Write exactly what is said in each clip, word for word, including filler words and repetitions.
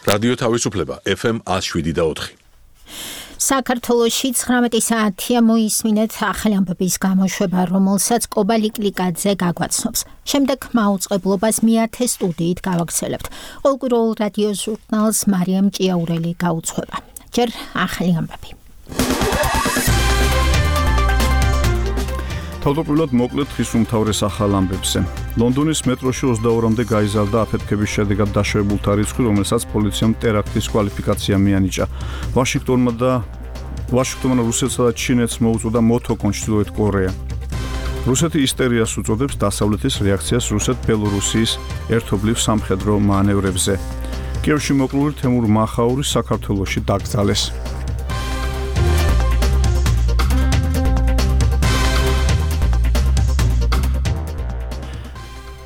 რადიო თავისუფლება ეფ ემ one oh seven და four. საქართველოში ცხრამეტი საათია მოისმინეთ ახალი ამბების გამოშვება, რომელსაც კობალი კლიკაძე გაგვაცნობს. შემდეგ მაუწყებლობას მეათე სტუდიით გავაგრძელებთ. ყოველკვირეულ რადიო ჟურნალს მარიამ ჭიაურელი გაუძღვება. ჯერ ახალი ამბები. თავდაპირველად მოკლედ ხის უმთავრეს ახალ ამბებზე. ლონდონის მეტროში ოცდაორამდე გაიზარდა აფეთქების შედეგად დაშვებულთა რიცხვი, რომელსაც პოლიციამ ტერაქტის კვალიფიკაცია მიანიჭა. ვაშინგტონმა და ვაშინგტონმა რუსეთსა და ჩინეთს მოუწოდა მოთო ჩრდილოეთ კორეა. რუსეთი ისტერიას უწოდებს დასავლეთის რეაქციას რუსეთ-ბელორუსიის ერთობლივ სამხედრო მანევრებზე. კიევში მოკლული თემურ მახაური საქართველოში დაკრძალეს.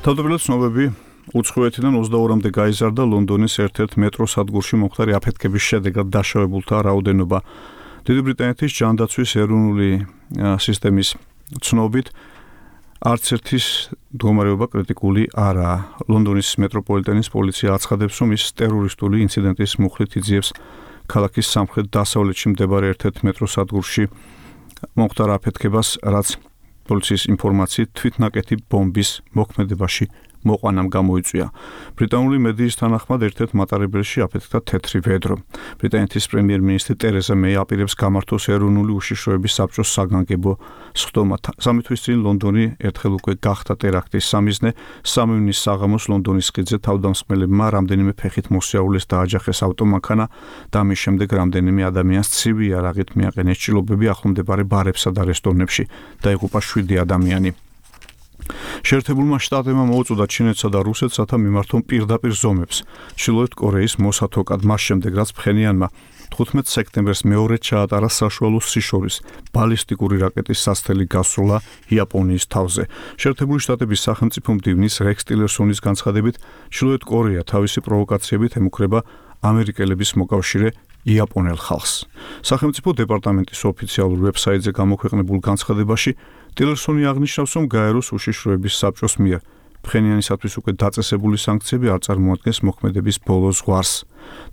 თავდაპირველად ცნობები უცხოეთიდან ოცდაორამდე გაიზარდა ლონდონის ერთ-ერთ მეტროს სადგურში მომხდარი აფეთქების შედეგად დაშავებულთა რაოდენობა. დიდი ბრიტანეთის ჯანდაცვის ეროვნული სისტემის ცნობით არც ერთის მდგომარეობა კრიტიკული არაა. ლონდონის მეტროპოლიტენის პოლიცია აცხადებს, რომ ის ტერორისტული ინციდენტის მუხლით იძიებს ქალაქის სამხრეთ-დასავლეთში მდებარე ერთ-ერთ მეტროს სადგურში მომხდარ აფეთქებას, რაც პოლიციის ინფორმაციით თვითნაკეთი ბომბის მოქმედებაში მოყვანამ გამოიწვია. ბრიტანული მედიის თანახმად ერთ-ერთ მატარებელში აფეთქდა თეთრი ვედრო. ბრიტანეთის პრემიერ-მინისტრი ტერეზა მეი აპირებს გამართოს ეროვნული უშიშროების საბჭოს საგანგებო სხდომა. სამი თვის წინ ლონდონი ერთხელ უკვე გახდა ტერაქტის სამიზნე. სამი ივნის საღამოს ლონდონის ხიდზე თავდამსხმელებმა რამდენიმე ფეხით მოსიარულეს დააჯახეს ავტომანქანა და ამის შემდეგ რამდენიმე ადამიანს ცივი იარაღით მიაყენეს ჭრილობები ახლომდებარე ბარებსა და რესტორნებში. დაიღუპა შვიდი ადამიანი. შეერთებულმა შტატებმა მოუწოდა ჩინეთსა და რუსეთს, რათა მიმართონ პირდაპირ ზომებს ჩრდილოეთ კორეის მოსათოკად, მას შემდეგ რაც ფხენიანმა თხუთმეტ სექტემბერს მეორედ ჩაატარა საშუალო სიშორის ბალისტიკური რაკეტის სასრთელი გასროლა იაპონიის თავზე. შეერთებული შტატების სახელმწიფო მდივნის რექს ტილერსონის განცხადებით, ჩრდილოეთ კორეა თავისი პროვოკაციებით ემუქრება ამერიკელების მოკავშირე იაპონელ ხალხს. სახელმწიფო დეპარტამენტის ოფიციალურ ვებსაიტზე გამოქვეყნებულ განცხადებაში ტილერსონი აღნიშნავს, რომ გაეროს უშიშროების საბჭოს მიერ ფხენიანისათვის უკვე დაწესებული სანქციები არ წარმოადგენს მოქმედების ბოლო ზღვარს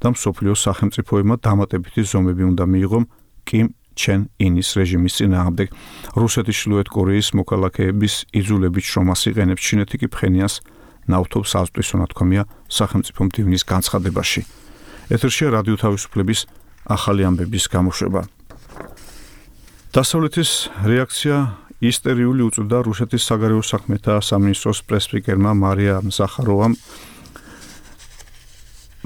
და მსოფლიოს სახელმწიფოებმა დამატებითი ზომები უნდა მიიღონ კიმ ჩენ ინის რეჟიმის წინააღმდეგ. რუსეთის ჩრდილოეთ კორეის მოქალაქეების იძულებით შრომას იყენებს, ჩინეთი კი ფხენიანს ნავთობს აზვტვის, თქმია სახელმწიფო მდივნის განცხადებაში. ეთერშია რადიო თავისუფლების ახალი ამბების გამოშვება. დასავლეთის რეაქცია ისტერიული უწოდა რუსეთის საგარეო საქმეთა სამინისტროს პრესპიკერმა მარიამ ზახაროვამ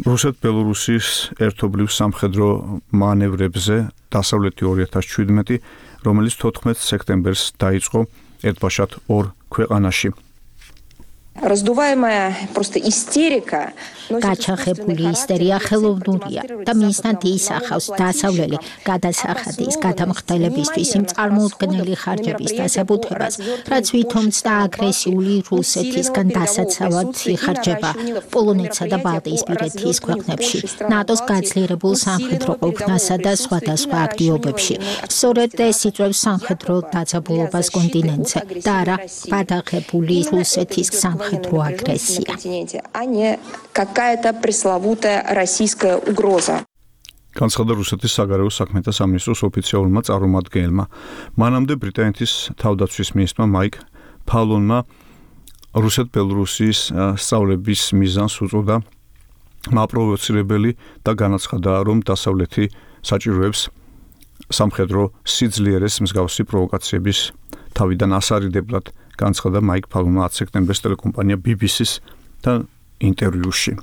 რუსეთ-ბელორუსიის ერთობლივ სამხედრო მანევრებზე დასავლეთი ორი ათას შვიდმეტი, რომელიც თოთხმეტ სექტემბერს დაიწყო ერთბაშად ორ ქვეყანაში. Раздуваемая просто истерика. გაჩაღებული ისტერია ხელოვნურია და მისთან ისახავს დასავლელი გადასახადის გადამხდელებისთვის იმ წარმოუდგენელი ხარჯების დასაბუთებას, რაც ვითომც და აგრესიული რუსეთისგან დასაცავად იხარჯება პოლონეთსა და ბალტიისპირეთის ქვეყნებში, ნატოს გაძლიერებულ სამხედრო ყოფნასა და სხვადასხვა აქტივობებში. სწორედ ეს იწვევს სამხედრო დაძაბულობას კონტინენტზე და არა გადაღებული რუსეთის სამხედრო აგრესია. Какая-то пресловутая российская угроза. განცხადა რუსეთის საგარეო საქმეთა სამინისტროს ოფიციალურმა წარმომადგენელმა. მანამდე ბრიტანეთის თავდაცვის მინისტრმა მაიკ ფალონმა რუსეთ-ბელორუსიის სწავლების მიზანს უწოდა მაპროვოცირებელი და განაცხადა, რომ დასავლეთი საჭიროებს სამხედრო სიძლიერეს მსგავსი პროვოკაციების თავიდან ასარიდებლად, განაცხადა მაიკ ფალონმა ათი სექტემბერს ტელეკომპანია ბი ბი სის და ინტერვიუში.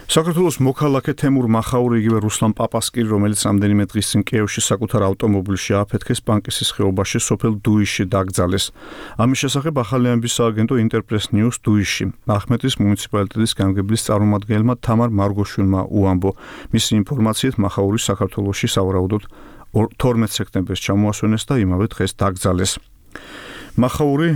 საქართველოს მოქალაქე თემურ მახაური, იგივე რუსლან პაპასკირი, რომელიც რამდენიმე დღის წინ კიევში საკუთარ ავტომობილში ააფეთქეს, პანკისის ხეობაში სოფელ დუიში დაკრძალეს. ამის შესახებ ახალი ამბის სააგენტო ინტერპრეს ნიუს დუიში ახმეტის მუნიციპალიტეტის გამგებლის წარმომადგენელმა თამარ მარგოშვილმა უამბო. მისი ინფორმაციით მახაური საქართველოში სავარაუდოდ თორმეტ სექტემბერს ჩამოასვენეს და იმავე დღეს დაკრძალეს. მახაური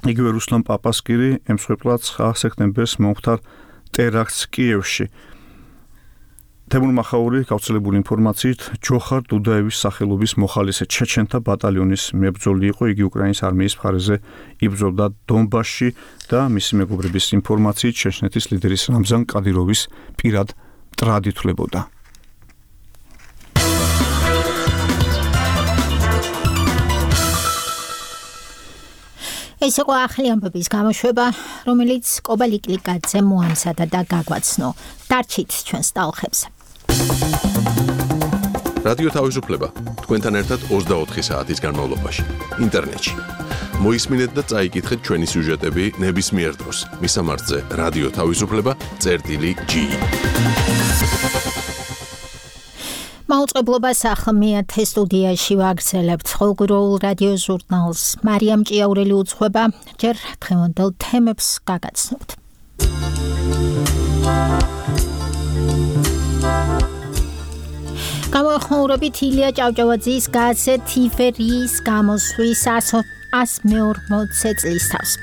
იგივე რუსლან პაპასკირი ემსხვერპლა ცხრა სექტემბერს მომხდარ ტერაქტს კიევში. თემურ მახაური გავრცელებული ინფორმაციით ჯოხარ დუდაევის სახელობის მოხალისე ჩეჩენთა ბატალიონის მებრძოლი იყო. იგი უკრაინის არმიის მხარეზე იბრძოდა დონბასში და მისი მეგობრების ინფორმაციით ჩეჩნეთის ლიდერის რამზან კადიროვის პირად მტრად ითვლებოდა. ეს იყო ახალი ამბების გამოშვება, რომელიც კობალიკლიკაძე მოამზადა და გაგვაცნო. დარჩით ჩვენს ტალღებზე. რადიო თავისუფლება თქვენთან ერთად ოცდაოთხი საათის განმავლობაში ინტერნეტში. მოისმინეთ და წაიკითხეთ ჩვენი სიუჟეტები ნებისმიერ დროს. მისამართზე რადიო თავისუფლება წერტილი ჯი. მაუწყებლობას ახლა მეათე სტუდიაში ვაგრძელებთ ყოველგვარულ რადიო ჟურნალს. მარიამ ჭიაურელი უძღვება, ჯერ დღევანდელ თემებს გაგაცნობთ. გამოეხმაურებით ილია ჭავჭავაძის გაზეთ ივერიის გამოსვლის ას მეორმოცე წლის თავს.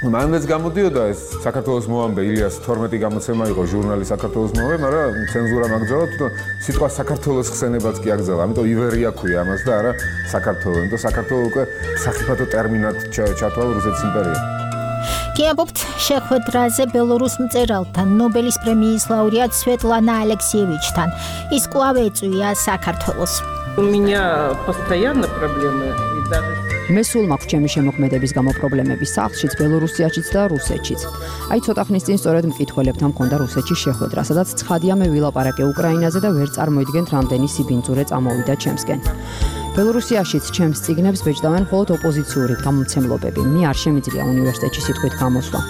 მანაც გამოდიოდა ეს საქართველოს მოამბე ილიას თორმეტი გამოცემა იყო ჟურნალი საქართველოს მოამბე, მაგრამ ცენზურა მაგძალა, თვითონ სიტყვა საქართველოს ხსენებაც კი აგზალა. ამიტომ ივერია ქვია ამას და არა საქართველო. ამიტომ საქართველო უკვე სახიფათო ტერმინად ჩათვალა რუსეთის იმპერია. კი ამბობთ შეხვედრაზე ბელორუს მწერალთან, ნობელის პრემიის ლაურეატ სვეტლანა ალექსიევიჩთან. ის კვლავ ეწვია საქართველოს. У меня постоянно проблемы и даже მე სულ მაქვს ჩემი შემოქმედების გამო პრობლემები სახლშიც, ბელორუსიაშიც და რუსეთშიც. აი ცოტა ხნის წინ სწორედ მკითხველებთან მქონდა რუსეთში შეხვედრა, სადაც ცხადია მე ვილაპარაკე უკრაინაზე და ვერ წარმოიდგენთ რამდენი სიბინძურე წამოვიდა ჩემსკენ. ბელორუსიაშიც ჩემს წიგნებს ბეჭდავენ მხოლოდ ოპოზიციური გამომცემლობები. მე არ შემიძლია უნივერსიტეტში სიტყვით გამოსვლა.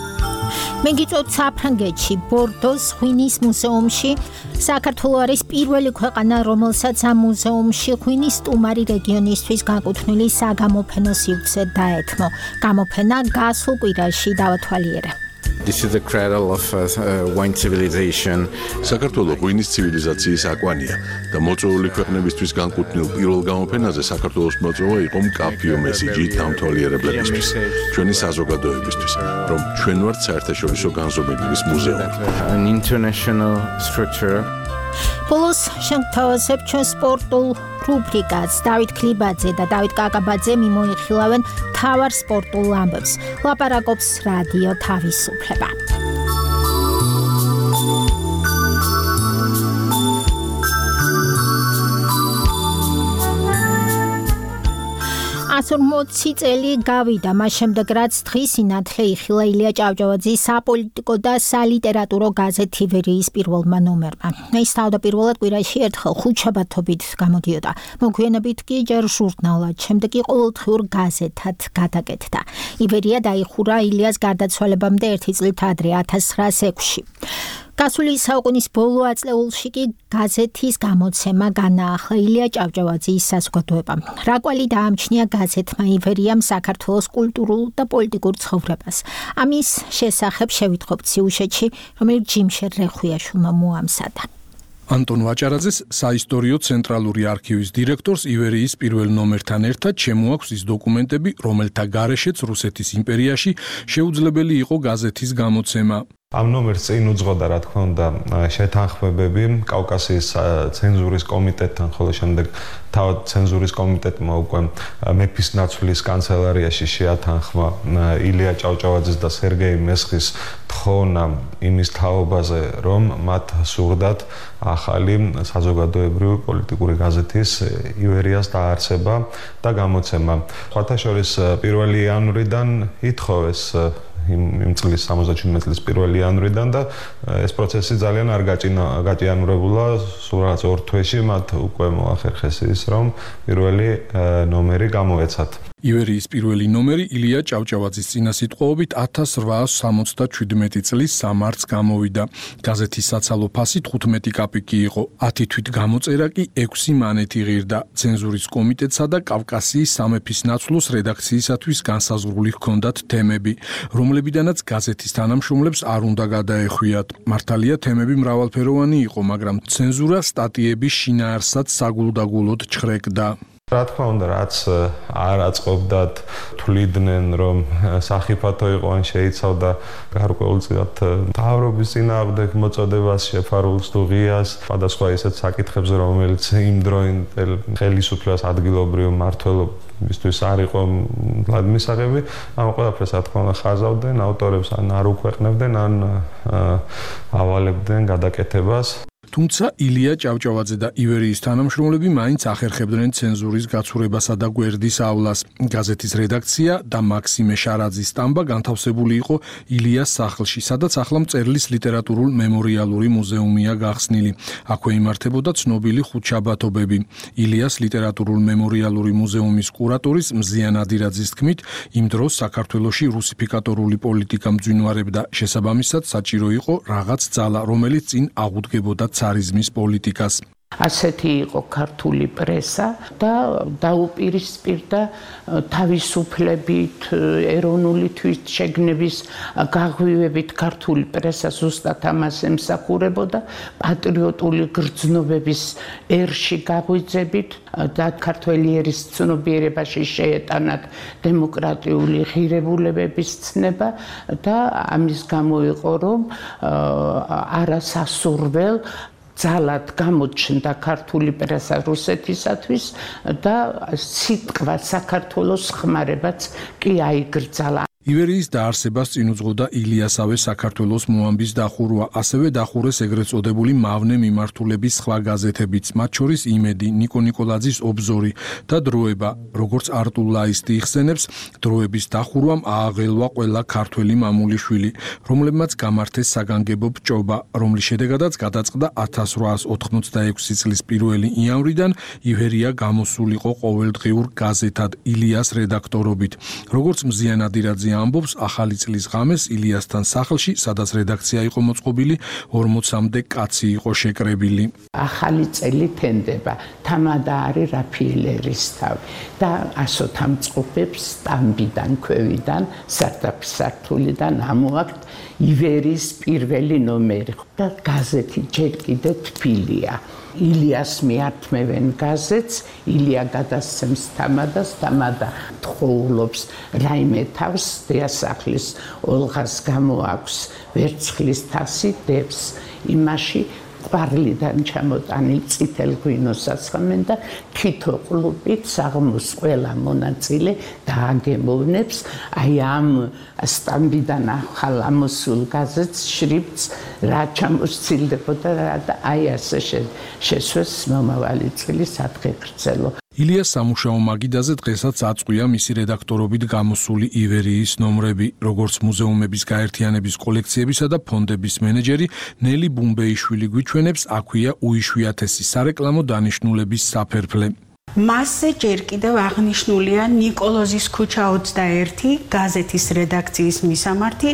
მე გიწევთ საფრანგეთში, ბორდოს ღვინის მუზეუმში. საქართველო არის პირველი ქვეყანა, რომელსაც ამ მუზეუმში ღვინის სტუმარი რეგიონისთვის გაკუთვნილი საგამოფენო სივრცე დაეთმო. გამოფენა გასულ კვირაში დავათვალიერე. This is the cradle of uh, wine civilization. საქართველო ღვინის ცივილიზაციის აკვანია და მოწვეული ქვეყნებისთვის განკუთვნილ პირველ გამოფენაზე საქართველოს მოწვევა იყო მკაფიო მესიჯი დამთვალიერებლებისთვის, ჩვენი საზოგადოებისთვის, რომ ჩვენ ვართ საერთაშორისო განზომილების მუზეუმი. An international structure. ბოლოს შემთავაზებ ჩვენ სპორტულ რუბრიკას. დავით ქლიბაძე და დავით კაკაბაძე მიმოიხილავენ მთავარ სპორტულ ამბებს. ლაპარაკობს რადიო თავისუფლება. ას ორმოცი წელი გავიდა, მას შემდეგ რაც დღის სინათლე იხილა ილია ჭავჭავაძის საპოლიტიკო და სალიტერატურო გაზეთ ივერიის პირველმა ნომერმა. ის თავდაპირველად კვირაში ერთხელ ხუთშაბათობით გამოდიოდა, მოგვიანებით კი ჯერ ჟურნალად, შემდეგ კი ყოველდღიურ გაზეთად გადაკეთდა. ივერია დაიხურა ილიას გარდაცვალებამდე ერთი წლით ადრე ათას ცხრაას ექვსში. გასული საუკუნის ბოლო აწლეულში კი გაზეთის გამოცემა განაახლა ილია ჭავჭავაძის საზოგადოებამ. რა კვალი დაამჩნია გაზეთმა ივერიამ საქართველოს კულტურულ და პოლიტიკურ ცხოვრებას. ამის შესახებ შევიტყობთ სიუჟეტში, რომელიც ჯიმშერ რეხვიაშვილმა მოამზადა. ანტონ ვაჭარაძეს საისტორიო ცენტრალური არქივის დირექტორს ივერიის პირველ ნომერთან ერთად შემოაქვს ის დოკუმენტები, რომელთა გარეშეც რუსეთის იმპერიაში შეუძლებელი იყო გაზეთის გამოცემა. ამ ნომერს წინ უძღოდა, რა თქმა უნდა, შეთანხმებები კავკასიის ცენზურის კომიტეტთან, ხოლო შემდეგ თავად ცენზურის კომიტეტმა უკვე მეფის ნაცვლის კანცელარიაში შეათანხმა ილია ჭავჭავაძის და სერგეი მესხის თხოვნა იმის თაობაზე, რომ მათ სურდათ ახალი საზოგადოებრივი პოლიტიკური გაზეთის ივერიას დაარსება და გამოცემა. სხვათა შორის პირველი იანვრიდან ითხოვეს იმ წლის სამოცდაშვიდმეტ წლის პირველი იანვრიდან და ეს პროცესი ძალიან არ გაჭიანურებულა. სულ რაღაც ორ თვეში მათ უკვე მოახერხეს ის, რომ პირველი ნომერი გამოეცათ. ივერიის პირველი ნომერი ილია ჭავჭავაძის წინასიტყვაობით ათას რვაას სამოცდაშვიდმეტი წლის სამართს გამოვიდა. გაზეთის საცალო ფასი თხუთმეტი კაპიკი იყო, ათი თვით გამოწერა კი ექვსი მანეთი ღირდა. ცენზურის კომიტეტსა და კავკასიის სამეფის ნაცვლოს რედაქციისათვის განსაზღვრული ჰქონდათ თემები, რომლებიდანაც გაზეთის თანამშრომლებს არ უნდა გადაეხვიათ. მართალია თემები მრავალფეროვანი იყო, მაგრამ ცენზურა სტატიების შინაარსად საგულდაგულოდ ჩხრეკდა. რა თქმა უნდა, რაც არ აწყობდათ, თვლიდნენ, რომ სახიფათო იყო ან შეიცავდა გარკვეულწილად მთავრობის წინააღმდეგ მოწოდებას, შეფარულს თუ ღიას, სხვადასხვა ისეთ საკითხებზე, რომელიც იმ დროინდელ ხელისუფლებას ადგილობრივ მმართველობისთვის არ იყო მისაღები, ამ ყველაფერს რა თქმა უნდა ხაზავდნენ, ავტორებს ან არ უქვეყნებდნენ, ან ავალებდნენ გადაკეთებას. თუმცა ილია ჭავჭავაძე და ივერიის თანამშრომლები მაინც ახერხებდნენ ცენზურის გაცურებასა და გვერდისავლას. გაზეთის რედაქცია და მაქსიმე შარაძის სტამბა განთავსებული იყო ილიას სახლში, სადაც ახლა მწერლის ლიტერატურულ-მემორიალური მუზეუმია გახსნილი. აქვე იმართებოდა ცნობილი ხუთშაბათობები. ილიას ლიტერატურულ-მემორიალური მუზეუმის კურატორის მზიან ადირაძის თქმით, იმ დროს საქართველოში რუსიფიკატორული პოლიტიკა მძვინვარებდა, შესაბამისად საჭირო იყო რაღაც ძალა, რომელიც წინ აღუდგებოდა царизმის პოლიტიკას. ასეთი იყო ქართული პრესა და დაუპირისპირდა თავისუფლებით, ეროვნული თვითშეგნების გაღვივებით ქართული პრესა ზუსტად ამას ემსახურებოდა, პატრიოტული გრძნობების ერში გაღვიძებით და ქართველი ერის ცნობიერებაში შეეტანათ დემოკრატიული ღირებულებების ცნება და ამის გამო იყო, რომ არასასურველ ძალად გამოჩნდა ქართული პრესა რუსეთისათვის და სიტყვა საქართველოს ხმარებაც კი აიგრძალა. ივერიის დაარსებას წინ უძღოდა ილიასავე საქართველოს მოამბის დახურვა, ასევე დახურეს ეგრეთ წოდებული მავნე მიმართულების სხვა გაზეთებიც, მათ შორის იმედი, ნიკო ნიკოლაძის ობზორი და დროება, როგორც არტულ ლაისტი იხსენებს, დროების დახურვამ ააღელვა ყველა ქართველი მამულიშვილი, რომლებმაც გამართეს საგანგებო ბჭობა, რომლის შედეგადაც გადაწყდა ათას რვაას ოთხმოცდაექვსი წლის პირველი იანვრიდან ივერია გამოსულიყო ყოველდღიურ გაზეთად ილიას რედაქტორობით, როგორც მზიან ადირაძე ამბობს, ახალი წლის ღამეს ილიასთან სახლში, სადაც რედაქცია იყო მოწყობილი, ორმოცამდე კაცი იყო შეკრებილი. ახალი წელი თენდება, თამადა არის რაფიელერის თავი და ასოთა მწყობებს სტამბიდან, ქვევიდან, სარდაფისართულიდან ამოაქვთ ივერიის პირველი ნომერი და გაზეთი ჯერ კიდე თბილია. ილიას მიართმევენ გაზეთს, ილია გადასცემს თამადას, თამადა თხოვლობს რაიმე თავს, დიასახლის ოლღას გამოაქვს ვერცხლის თასი, დებს იმაში ყვარლიდან ჩამოტანილ წითელ ღვინოს ასხამენ და თითო ყლუპით საღმოს ყველა მონაწილე დააგემოვნებს აი ამ სტამბიდან ახალ ამოსულ გაზეთს შრიფტს რა ჩამოსცილდებოდა და აი ასე შესვეს მომავალი წელი სადღეგრძელო. ილიას სამუშაო მაგიდაზე დღესაც აწყვია მისი რედაქტორობით გამოსული ივერიის ნომრები, როგორც მუზეუმების გაერთიანების კოლექციებისა და ფონდების მენეჯერი ნელი ბუმბეიშვილი გვიჩვენებს, აქვეა უიშვიათესი სარეკლამო დანიშნულების საფერფლე. მასზე ჯერ კიდევ აღნიშნულია ნიკოლოზის ქუჩა ოცდაერთი გაზეთის რედაქციის მისამართი,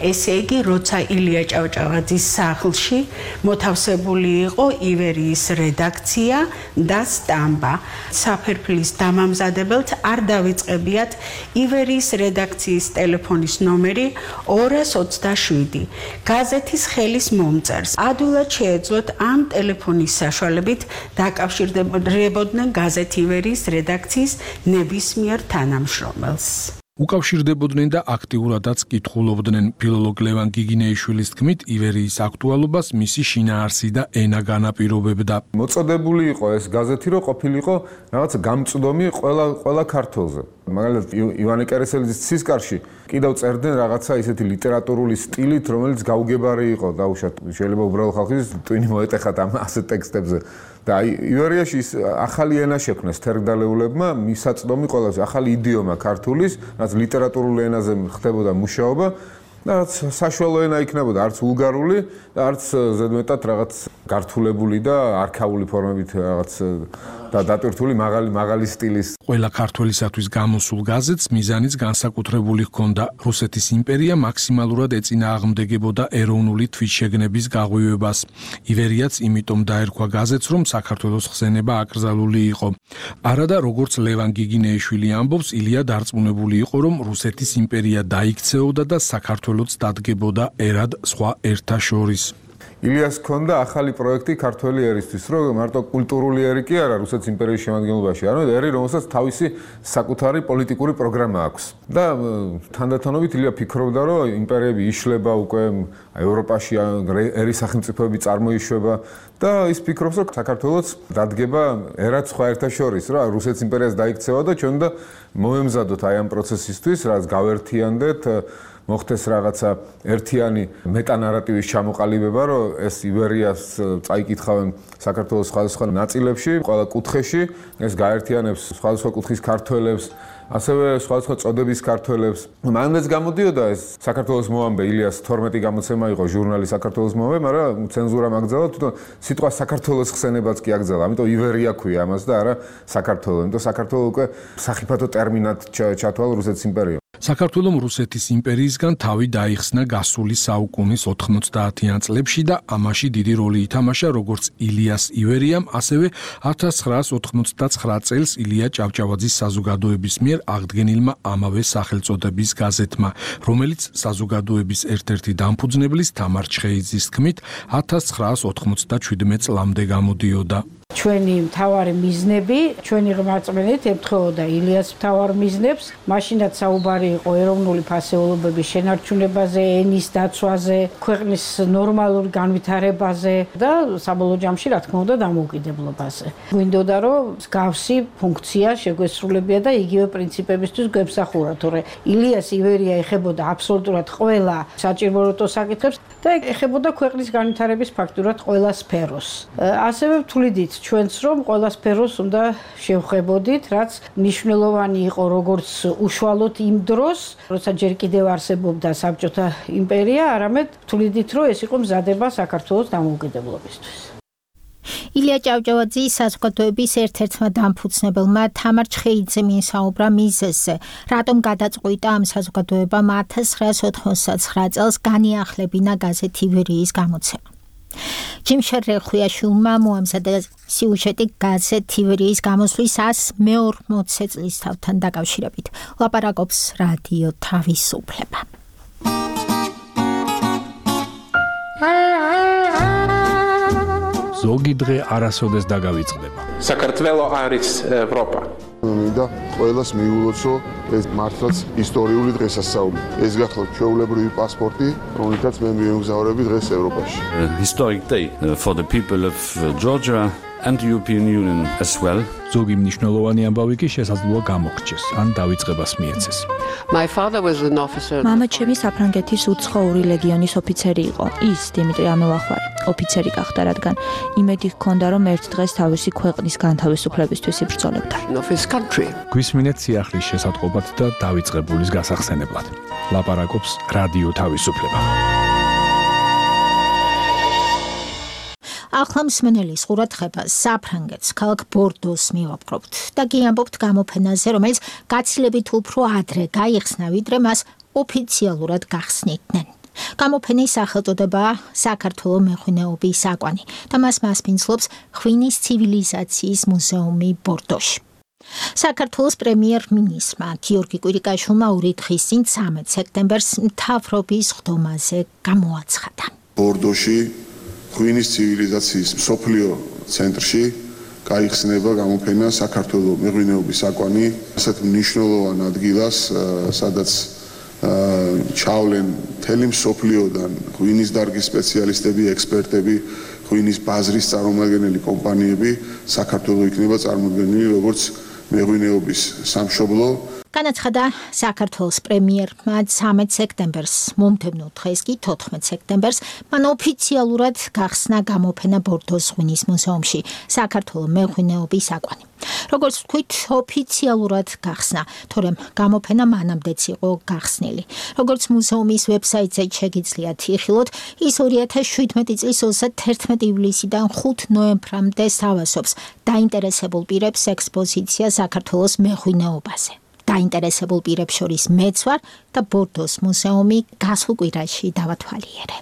ესე იგი, როცა ილია ჭავჭავაძის სახლში მოთავსებული იყო ივერიის რედაქცია და სტამბა. საფერფლის დამამზადებელთ არ დავიწყებიათ ივერიის რედაქციის ტელეფონის ნომერი ორას ოცდაშვიდი. გაზეთის ხელის მომწერს ადვილად შეეძლოთ ამ ტელეფონის საშუალებით დაკავშირდებოდნენ გაზეთის ივერიის რედაქციის ნებისმიერ თანამშრომელს. უკავშირდებოდნენ და აქტიურადაც კითხულობდნენ. ფილოლოგ ლევან გიგინეიშვილის თქმით, ივერიის აქტუალობას მისი შინაარსი და ენა განაპირობებდა. მოწოდებული იყო ეს გაზეთი, რომ ყოფილიყო რაღაც გამწვდომი ყველა ყველა ქართველზე. მაგალითად, ივანე კერესელიძის ცისკარში კიდევ წერდნენ რაღაცა ისეთი ლიტერატურული სტილით, რომელიც გაუგებარი იყო დაუშვათ. შეიძლება უბრალოდ ხალხის ტვინი მოეტეხათ ამ ასეთ ტექსტებზე. და ივერიაში ახალი ენა შექმნეს თერგდალეულებმა, მისაწვდომი ყველაზე ახალი იდიომა ქართულის, რაც ლიტერატურულ ენაზე ხდებოდა მუშაობა და რაც საშუალო ენა იქნებოდა, არც ვულგარული და არც ზედმეტად რაღაც გართულებული და არქაული ფორმებით რაღაც და დატვირთული მაღალი მაღალი სტილის. ყველა ქართველისათვის გამოსულ გაზეთს მიზანიც განსაკუთრებული ჰქონდა. რუსეთის იმპერია მაქსიმალურად ეწინააღმდეგებოდა ეროვნული თვითშეგნების გაღვივებას. ივერიაც იმიტომ დაერქვა გაზეთს, რომ საქართველოს ხსენება აკრძალული იყო. არადა როგორც ლევან გიგინეიშვილი ამბობს, ილია დარწმუნებული იყო, რომ რუსეთის იმპერია დაიქცეოდა და საქართველოს დადგებოდა ერად სხვა ერთა შორის. ილიას ქონდა ახალი პროექტი ქართველი ერისთვის, რომ მარტო კულტურული ერი კი არა რუსეთის იმპერიის შემადგენლობაში, არამედ ერი, რომელსაც თავისი საკუთარი პოლიტიკური პროგრამა აქვს. და თანდათანობით ილია ფიქრობდა, რომ იმპერიები იშლება უკვე ევროპაში, ერის სახელმწიფოები წარმოიშვება და ის ფიქრობს, რომ საქართველოს დადგება ერაც სხვა ერთა შორის, რა რუსეთის იმპერიას დაიქცევა და ჩვენ და მოემზადოთ აი ამ პროცესისთვის, რაც გავერთიანდეთ მოხდეს რაღაცა ერთიანი მეტანარატივის ჩამოყალიბება, რომ ეს იბერიას წაიკითხავენ საქართველოს სხვადასხვა ნაწილებში, ყველა კუთხეში, ეს გაერთიანებს სხვადასხვა კუთხის ქართველებს, ასევე სხვადასხვა წოდების ქართველებს. მანაც გამოდიოდა ეს საქართველოს მოამბე ილიას თორმეტი გამოცემა იყო ჟურნალი საქართველოს მოამბე, მაგრამ ცენზურამ აკრძალა, თვითონ სიტყვა საქართველოს ხსენებაც კი აკრძალა. ამიტომ იბერია ქვია ამას და არა საქართველო. ამიტომ საქართველო უკვე სახიფათო ტერმინად ჩათვალა რუსეთის იმპერიამ. საქართველომ რუსეთის იმპერიისგან თავი დაიხსნა გასული საუკუნის ოთხმოცდაათიან წლებში და ამაში დიდი როლი ითამაშა როგორც ილიას ივერიამ, ასევე ათას ცხრაას ოთხმოცდაცხრა წელს ილია ჭავჭავაძის საზოგადოების მიერ აღდგენილმა ამავე სახელწოდების გაზეთმა, რომელიც საზოგადოების ერთ-ერთი დამფუძნებლის თამარ ჩხეიძის თქმით ათას ცხრაას ოთხმოცდაჩვიდმეტ წლამდე გამოდიოდა. ჩვენი მთავარი მიზნები, ჩვენი ღმერთმენით ემთხოვოდა ილიას მთავარ მიზნებს, მაშინაც საუბარი იყო ეროვნული ფასეულობების შენარჩუნებაზე, ენის დაცვაზე, ქვეყნის ნორმალურ განვითარებაზე და საბოლოო ჯამში, რა თქმა უნდა, დამოუკიდებლობაზე. გვინდოდა, რომ მსგავსი ფუნქცია შეგვესრულებია და იგივე პრინციპებისთვის გვემსახურა, თორე ილიას ივერია ეხებოდა აბსოლუტურად ყველა საჭიროებო საკითხებს და ეხებოდა ქვეყნის განვითარების ფაქტურად ყველა სფეროს. ასევე ვთვლიდით ჩვენც რომ ყველა სფეროს უნდა შევხვებოდით, რაც მნიშვნელოვანი იყო როგორც უშუალოდ იმ დროს, როცა ჯერ კიდევ არსებობდა საბჭოთა იმპერია, არამედ ვთვლიდით, რომ ეს იყო მზადება საქართველოს დამოუკიდებლობისთვის. ილია ჭავჭავაძის საზოგადოების ერთ-ერთმა დამფუძნებელმა თამარ ჩხეიძემ ისაუბრა მიზეზზე, რატომ გადაწყვიტა ამ საზოგადოებამ ათას ცხრაას ოთხმოცდაცხრა წელს განიახლებინა გაზეთ ივერიის გამოცემა. ჯიმშარ რეხუიაშვილმა მოამზადა სიუჟეტი გაზეთ ივერიის გამოსვლის ასი მეორმოცე წლისთავთან დაკავშირებით. ლაპარაკობს რადიო თავისუფლება. ზოგი დღე არასოდეს დაგავიწყდება. საქართველო არის ევროპა. მინდა ყველას მიულოცო ეს მართლაც ისტორიული დღესასწაული. ეს გახლავთ ჩვეულებრივი პასპორტი, რომელთაც მე მიემგზავრები დღეს ევროპაში. Historic day for the people of Georgia and the European Union as well. ზოგი მნიშვნელოვანი ამბავი კი შესაძლოა გამოგრჩეს, ან დავიწყებას მიეცეს. My father was an officer. მამა ჩემი საფრანგეთის უცხოური ლეგიონის ოფიცერი იყო. ის დიმიტრი ამელახვარი ოფიცერი გახდა, რადგან იმედი ჰქონდა, რომ ერთ დღეს თავისი ქვეყნის განთავისუფლებისთვის იბრძოლებდა. გვისმინეთ სიახლის შესატყობად და დავიწყებულის გასახსენებლად. ლაპარაკობს რადიო თავისუფლება. ახლა მსმენელის ყურადღებას საფრანგეთს, ქალაქ ბორდოს მივაპყრობთ და გიამბობთ გამოფენაზე, რომელიც გაცილებით უფრო ადრე გაიხსნა, ვიდრე მას ოფიციალურად გახსნიდნენ. გამოფენის სახელწოდებაა საქართველოს მეღვინეობის საკვანი და მას მასპინძლობს ღვინის ცივილიზაციის მუზეუმი ბორდოში. საქართველოს პრემიერ-მინისტრმა გიორგი კვირიკაშვილმა ორი დღის წინ ცამეტ სექტემბერს მთავრობის ხდომაზე გამოაცხადა. ბორდოში ღვინის ცივილიზაციის მსოფლიო ცენტრში გაიხსნება გამოფენა საქართველოს მეღვინეობის საკვანი, ასეთ მნიშვნელოვან ადგილას, სადაც ჩავლენ მთელი მსოფლიოდან ღვინის დარგის სპეციალისტები, ექსპერტები, ღვინის ბაზრის წარმომადგენელი კომპანიები, საქართველოს იქნება წარმოდგენილი როგორც მეღვინეობის სამშობლო. განაცხადა საქართველოს პრემიერმა ცამეტ სექტემბერს, მომდევნო დღეს კი თოთხმეტ სექტემბერს მან ოფიციალურად გახსნა გამოფენა ბორდოს ღვინის მუზეუმში საქართველოს მეღვინეობის საკვანი. როგორც ვთქვით, ოფიციალურად გახსნა, თორემ გამოფენა მანამდეც იყო გახსნილი. როგორც მუზეუმის ვებსაიტზე შეგიძლიათ იხილოთ, ის ორი ათას შვიდმეტი წლის ოცდაათერთმეტი ივლისიდან ხუთი ნოემბრამდე სთავაზობს დაინტერესებულ პირებს ექსპოზიცია საქართველოს მეღვინეობაზე. დაინტერესებულ პირებს შორის მეც ვარ და ბორდოს მუზეუმი გასულ კვირაში დავათვალიერე.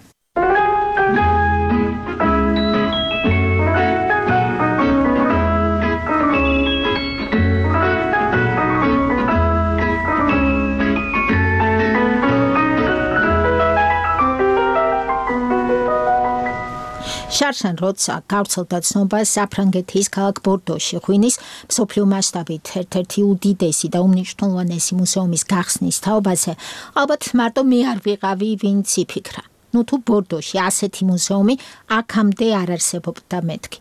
შარშან როცა გავრცელდა ცნობა საფრანგეთის ქალაქ ბორდოში ღვინის მსოფლიო მასშტაბით ერთ-ერთი უდიდესი და უმნიშვნელოვანესი მუზეუმის გახსნის თაობაზე, ალბათ მარტო მე არ ვიყავი, ვინც იფიქრა. ნუ თუ ბორდოში ასეთი მუზეუმი აქამდე არ არსებობდა მეთქი.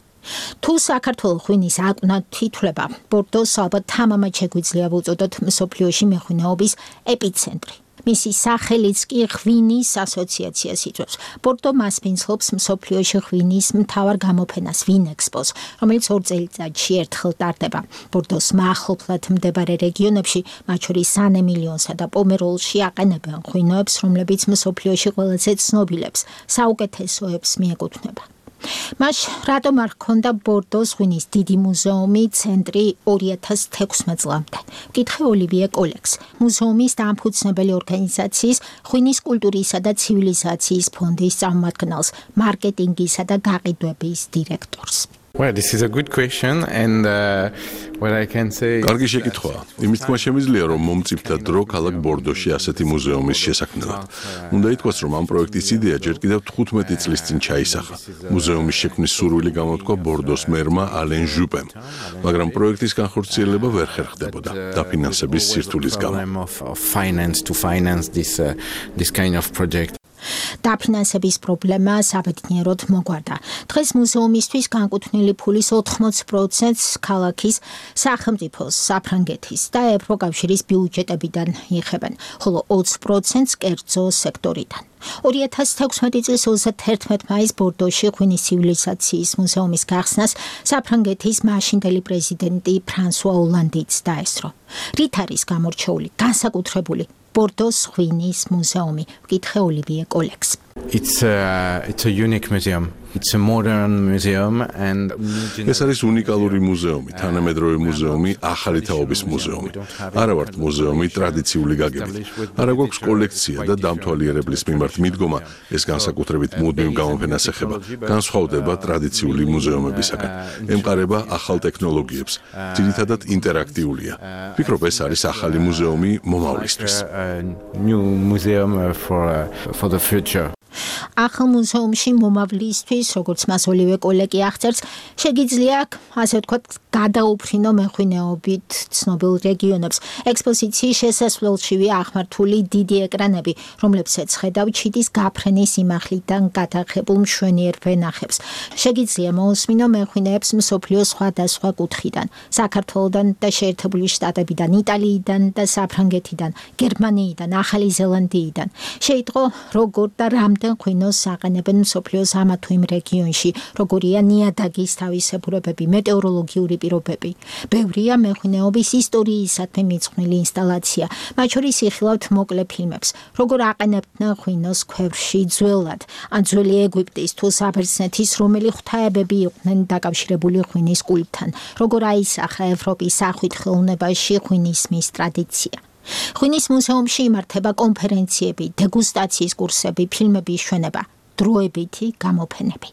თუ საქართველოს ღვინის აკვნად თითვლება, ბორდოს ალბათ თამამად შეგვიძლია ვუწოდოთ მსოფლიოში მეღვინეობის ეპიცენტრი. მისი სახელიც კი ღვინის ასოციაციას იწვევს. ბორდო მასპინძლობს მსოფლიოში ღვინის მთავარ გამოფენას ვინექსპოს, რომელიც ორ წელიწადში ერთხელ ტარდება. ბორდოს მახლობლად მდებარე რეგიონებში, მათ შორის სან-ემილიონსა და პომეროლში აყენებენ ღვინოებს, რომლებიც მსოფლიოში ყველაზე ცნობილებს, საუკეთესოებს მიეკუთვნება. მას რატომ არ ჰქონდა ბორდოს ღვინის დიდი მუზეუმი ცენტრი ორი ათას თექვსმეტ წლამდე? ვკითხე ოლივიე კოლექს, მუზეუმის დამფუძნებელი ორგანიზაციის ღვინის კულტურისა და ცივილიზაციის ფონდის წარმომადგენელს, მარკეტინგისა და გაყიდვების დირექტორს. Well, this is a good question and uh, what I can say კარგი შეკითხვაა. იმის თქმა შემიძლია, რომ მომწიფდა დრო ქალაქ ბორდოში ასეთი მუზეუმის შესაქმნელად. უნდა ითქვას, რომ ამ პროექტის იდეა ჯერ კიდევ თხუთმეტი წლის წინ ჩაისახა. მუზეუმის შექმნის სურვილი გამოთქვა ბორდოს მერმა ალენ ჟუპემ, მაგრამ პროექტის განხორციელება ვერ ხერხდებოდა დაფინანსების სირთულის გამო. finance to finance this uh, this kind of project. დაფინანსების პრობლემა საბედნიეროდ მოგვარდა. დღეს მუზეუმისთვის განკუთვნილი ფულის ოთხმოცი პროცენტს ქალაქის, სახელმწიფოს, საფრანგეთის და ევროკავშირის ბიუჯეტებიდან იღებენ, ხოლო ოცი პროცენტს კერძო სექტორიდან. ორი ათას თექვსმეტი წლის ოცდაერთმეტ მაისს ბორდოში ღვინის ცივილიზაციის მუზეუმის გახსნას საფრანგეთის მაშინდელი პრეზიდენტი ფრანსუა ოლანდიც დაესწრო. რით არის გამორჩეული, განსაკუთრებული ბორდოს ღვინის მუზეუმი? ვკითხე ოლივიე კოლექს. It's a, it's a unique museum. It's a modern museum and ეს არის უნიკალური მუზეუმი, თანამედროვე მუზეუმი, ახალი თაობის მუზეუმი. არა ვართ მუზეუმი ტრადიციული გაგებით. არა გვაქვს კოლექცია და დამთვალიერებლის მიმართ მიდგომა, ეს განსაკუთრებით მუდმივ გამოფენას ეხება. განსხვავდება ტრადიციული მუზეუმებისაგან. ემყარება ახალ ტექნოლოგიებს. ძირითადად ინტერაქტიულია. ვფიქრობ, ეს არის ახალი მუზეუმი მომავლისთვის. New museum for for the future. ახალ მუზეუმში მომავლისთვის, როგორც მას ოლივიე კოლეკი აღწერს, შეგიძლია, ასე ვთქვათ, გადაუფრინო მეღვინეობით ცნობილ რეგიონებს. ექსპოზიციის შესასვლელშივე აღმართული დიდი ეკრანები, რომლებსაც ხედავ ჩიტის გაფრენის იმახლიდან გადაღებულ მშვენიერ ვენახებს. შეგიძლია მოусმინო მეღვინეებს მსოფლიოს სხვადასხვა კუთხიდან, საქართველოდან და შეერთებული შტატებიდან, იტალიიდან და საფრანგეთიდან, გერმანიიდან, ახალი ზელანდიიდან. შეიტყო, როგორ და რამდენ ღვინოს აყენებენ მსოფლიოს ამა თუ იმ რეგიონში, როგორია ნიადაგის თავისებურებები, მეტეოროლოგიური პირობები. ბევრია მეღვინეობის ისტორიისადმი მიძღვნილი ინსტალაცია, მათ შორის იხილავთ მოკლე ფილმებს, როგორ აყენებდნენ ღვინოს ქვევრში ძველად, ან ძველი ეგვიპტის თუ საბერძნეთის რომელი ღვთაებები იყვნენ დაკავშირებული ღვინის კულტთან, როგორ აისახა ევროპის სახვით ხელოვნებაში ღვინის მის ტრადიცია. ღვინის მუზეუმში იმართება კონფერენციები, დეგუსტაციის კურსები, ფილმების ჩვენება, დროებითი გამოფენები.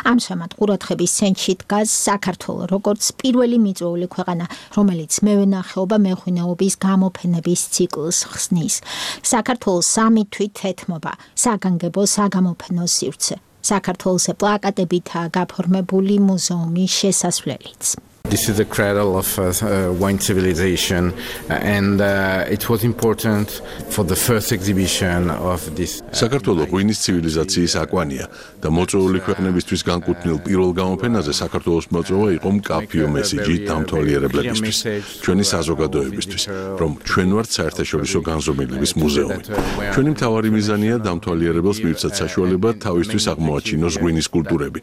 ამჟამად ყურადღების ცენტრში დგას საქართველო, როგორც პირველი მიწვეული ქვეყანა, რომელიც მევენახეობა მეღვინეობის გამოფენების ციკლს ხსნის. საქართველოს სამი თვით ეთმობა საგანგებო საგამოფენო სივრცე. საქართველოს პლაკატებითაა გაფორმებული მუზეუმის შესასვლელიც. This is the cradle of uh, uh, wine civilization and uh, it was important for the first exhibition of this. საქართველოს ღვინის ცივილიზაციის აკვანია და მოწვეული ქვეყნებისთვის განკუთვნილ პირველ გამოფენაზე საქართველოს მოწვევა იყო მკაფიო მესიჯი დამთვალიერებლებისთვის, ჩვენი საზოგადოებისთვის, რომ ჩვენ ვართ საერთაშორისო განზომილების მუზეუმი. ჩვენი მთავარი მიზანია დამთვალიერებელს მივცათ საშუალება თავისთვის აღმოაჩინოს ღვინის კულტურები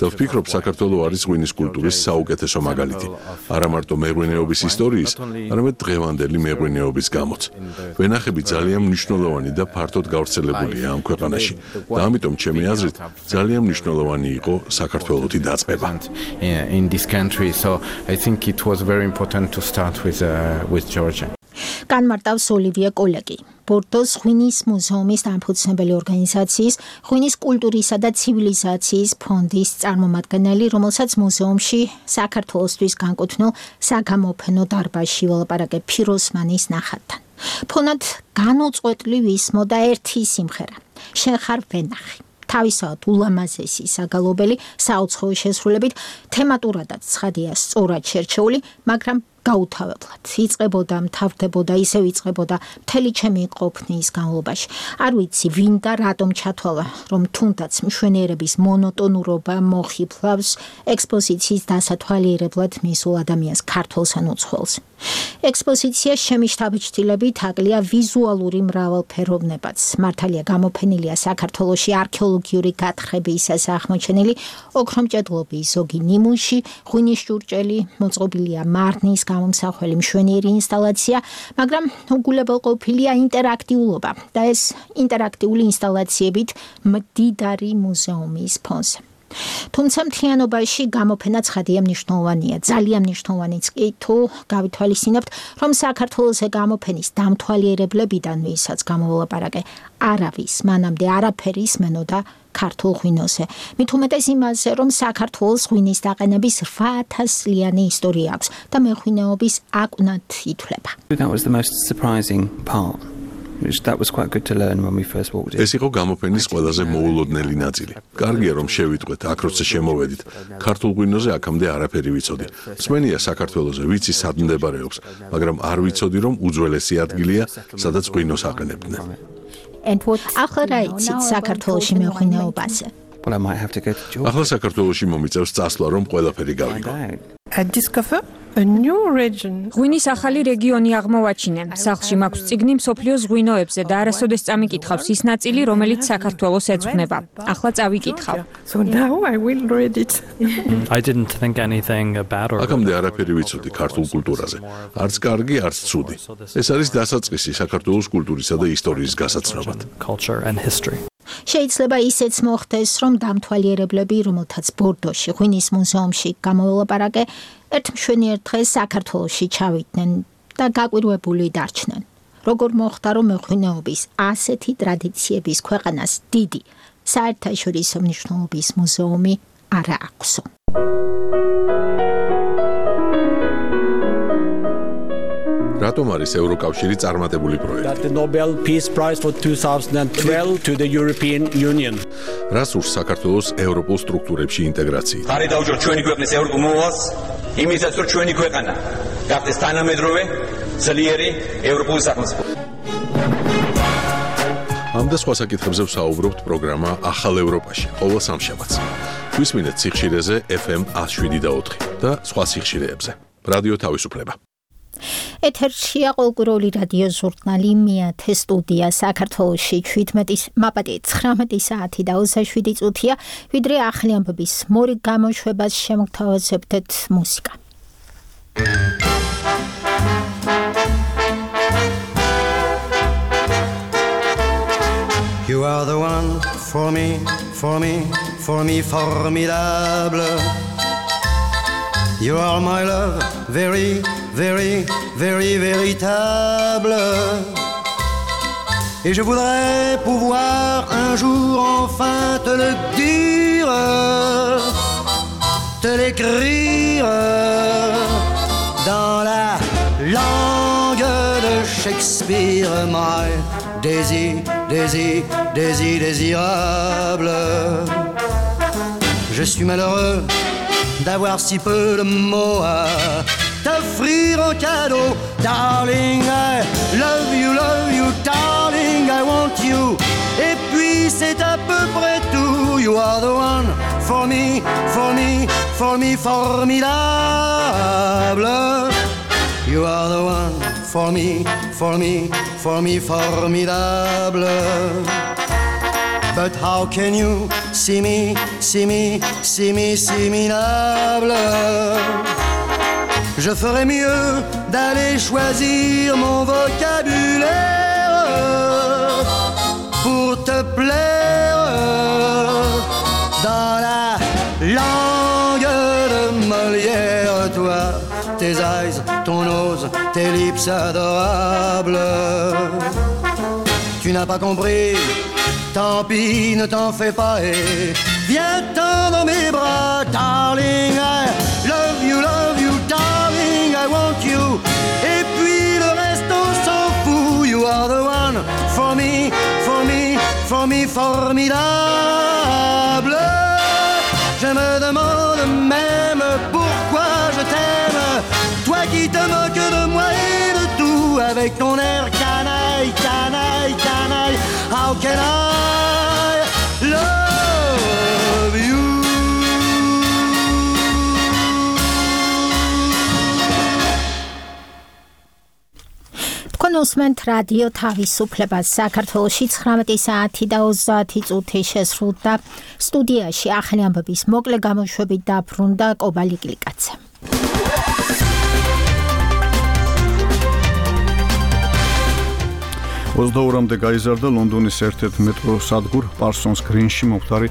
და ვფიქრობ, საქართველოს არის ღვინის კულტურის საუკეთესო მაგალითი. არა მარტო მეღვინეობის ისტორიის, არამედ დღევანდელი მეღვინეობის გამოც. ვენახები ძალიან მნიშვნელოვანი და ფართოდ გავრცელებულია ამ ქვეყანაში და ამიტომ ჩემი აზრით ძალიან მნიშვნელოვანი იყო საქართველოსი დაწყება. In this country, so I think it was very important to start with uh, with Georgia. განმარტავს ოლივიე კოლეკი, ბორდოს ღვინის მუზეუმის დამფუძნებელი ორგანიზაციის ღვინის კულტურისა და ცივილიზაციის ფონდის წარმომადგენელი, რომელსაც მუზეუმში საქართველოსთვის განკუთვნილ საგამოფენო დარბაზში ველაპარაკე ფიროსმანის ნახატთან. ფონად განუწყვეტლივ ისმოდა ერთი სიმღერა, შენ ხარ ვენახი. თავისთავად ულამაზესი საგალობელი საუცხოო შესრულებით, თემატურადაც ცხადია სწორად შერჩეული, მაგრამ გაუთავებლად იწყებოდა, მთავრდებოდა, ისევ იწყებოდა მთელი ჩემი ყოფნის განმავლობაში. არ ვიცი, ვინ და რატომ ჩათვალა, რომ თუნდაც მშვენიერების მონოტონურობა მოხიფლავს ექსპოზიციის დასათვალიერებლად მისულ ადამიანს, ქართველს ან უცხოელს. ექსპოზიცია შემიშთაბეჭდილებით აკლია ვიზუალური მრავალფეროვნებაც. მართალია გამოფენილია საქართველოში არქეოლოგიური გათხრებისას აღმოჩენილი ოქრომჭედლობის ზოგი ნიმუში, ღვინის ჭურჭელი, მოწყობილია მარნის გამომსახველი მშვენიერი ინსტალაცია, მაგრამ უგულებელყოფილია ინტერაქტიულობა და ეს ინტერაქტიული ინსტალაციებით მდიდარი მუზეუმის ფონზე. თუმცა მთლიანობაში გამოფენა ცხადია მნიშვნელოვანია, ძალიან მნიშვნელოვანიც კი თუ გავითვალისწინებთ, რომ საქართველოს გამოფენის დამთვალიერებლებიდან ვისაც გამოვлапარაკე, არავის მანამდე არაფერი ისმენოდა ქართულ ღვინოზე. მით უმეტეს იმაზე, რომ საქართველოს ღვინის დაყენების რვა ათასლიანი ისტორია აქვს და მეღვინეობის აკვნად ითვლება. That was the most surprising part. Which that was quite good to learn when we first walked in. ეს იყო გამოფენის ყველაზე მოულოდნელი ნაწილი. კარგია რომ შევიტყვეთ, აქ როცა შემოვედით, ქართულ ღვინოზე აქამდე არაფერი ვიცოდი. მსმენია საქართველოზე ვიცი სად მდებარეობს, მაგრამ არ ვიცოდი რომ უძველესი ადგილია, სადაც ღვინოს აყენებდნენ. ახლა რა იცით საქართველოში მეღვინეობაზე? Well, I might have to go to Georgia. ახლა საქართველოში მომიწევს წასვლა რომ ყველაფერი გავიგო. I discover a new region. ღვინის ახალი რეგიონი აღმოვაჩინე. სახლში მაქვს წიგნი მსოფლიოს ღვინოებზე და არასოდეს წამიკითხავს ის ნაწილი, რომელიც საქართველოს ეძღვნება. ახლა წავიკითხავ. So now I will read it. I didn't think anything about or აქამდე არაფერი ვიცოდი ქართულ კულტურაზე. არც კარგი, არც ცუდი. ეს არის დასაწყისი საქართველოს კულტურისა და ისტორიის გასაცნობად. Culture and history. შეიძლება ისეც მოხდეს, რომ დამთვალიერებლები, რომელთაც ბორდოში ღვინის მუზეუმში გამოვlapარაკე, ერთ მშვენიერ დღეს საქართველოში ჩავიდნენ და გაკვირვებული დარჩნენ. როგორ მოხდა, რომ მეღვინეობის ასეთი ტრადიციების ქვეყანას დიდი საერთაშორისო მნიშვნელობის მუზეუმი არა აქვსო. რატომ არის ევროკავშირი წარმატებული პროექტი? The Nobel Peace Prize for twenty twelve to the European Union. რას ურს საქართველოს ევროპულ სტრუქტურებში ინტეგრაციით? ხარი დაუჭირთ ჩვენი ქვეყნის ევროპულ მოვალს, იმისაც რომ ჩვენი ქვეყანა გახდეს თანამედროვე, ძლიერი ევროპული სახელმწიფო. ამ და სხვა საკითხებზე ვსაუბრობთ პროგრამა ახალ ევროპაში, ყოველ სამშაბათს. გვისმინეთ სიხშირეზე F M one oh seven და ოთხი და სხვა სიხშირეებზე. რადიო თავისუფლება. ეთერშია ყოველკვირეული რადიო ჟურნალი მეათე სტუდია საქართველოში შვიდმეტი მაპატი ცხრამეტი საათი და ოცდაშვიდი წუთია, ვიდრე ახალი ამბების მორიგ გამოშვებას შემოგთავაზებთ მუსიკა. You are the one for me, for me, for me formidable. You are my love, very, very, very véritable. Et je voudrais pouvoir un jour enfin te le dire, te l'écrire dans la langue de Shakespeare. My désir, désir, désir, désirable. Je suis malheureux d'avoir si peu de mots à t'offrir en cadeau. Darling, I love you, love you, darling, I want you. Et puis c'est à peu près tout. You are the one for me, for me, for me, formidable. You are the one for me, for me, for me, formidable. But how can you see me, see me, see me, similable? Je ferais mieux d'aller choisir mon vocabulaire pour te plaire dans la langue de Molière. Toi, tes eyes, ton nose, tes lips adorables. Tu n'as pas compris. Tant pis, ne t'en fais pas et viens-t'en dans mes bras. Darling, I love you, love you, darling, I want you. Et puis le reste on s'en fout. You are the one for me, for me, for me, formidable. Je me demande même pourquoi je t'aime, toi qui te moques de moi et de tout, avec ton air canaille, canaille, canaille. How can I love you? კონსმენთ რადიო თავისუფლებას საქართველოში ცხრამეტი საათი და ოცდაათი წუთი შესრულდა. სტუდიაში ახალი ამბების მოკლე გამოშვებით დაბრუნდა კობალი გლიკაძე. ოცდაორამდე გაიზარდა ლონდონის ერთ-ერთ მეტრო სადგურ პარსონს გრინში მომხდარი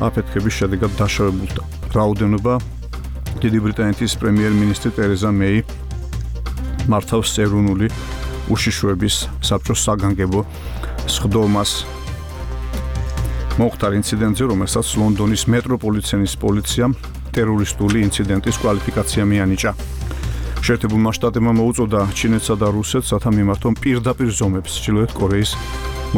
აფეთქების შედეგად დაშავებულთა რაოდენობა დიდი ბრიტანეთის პრემიერ-მინისტრი ტერეზა მეი მართავს ეროვნული უშიშროების საბჭოს საგანგებო სხდომას მომხდარ ინციდენტზე, რომელსაც ლონდონის მეტროპოლიტენის პოლიციამ ტერორისტული ინციდენტის კვალიფიკაცია მიანიჭა. შეერთებულმა შტატებმა მოუწოდა ჩინეთსა და რუსეთს, რათა მიმართონ პირდაპირ ზომებს ჩრდილოეთ კორეის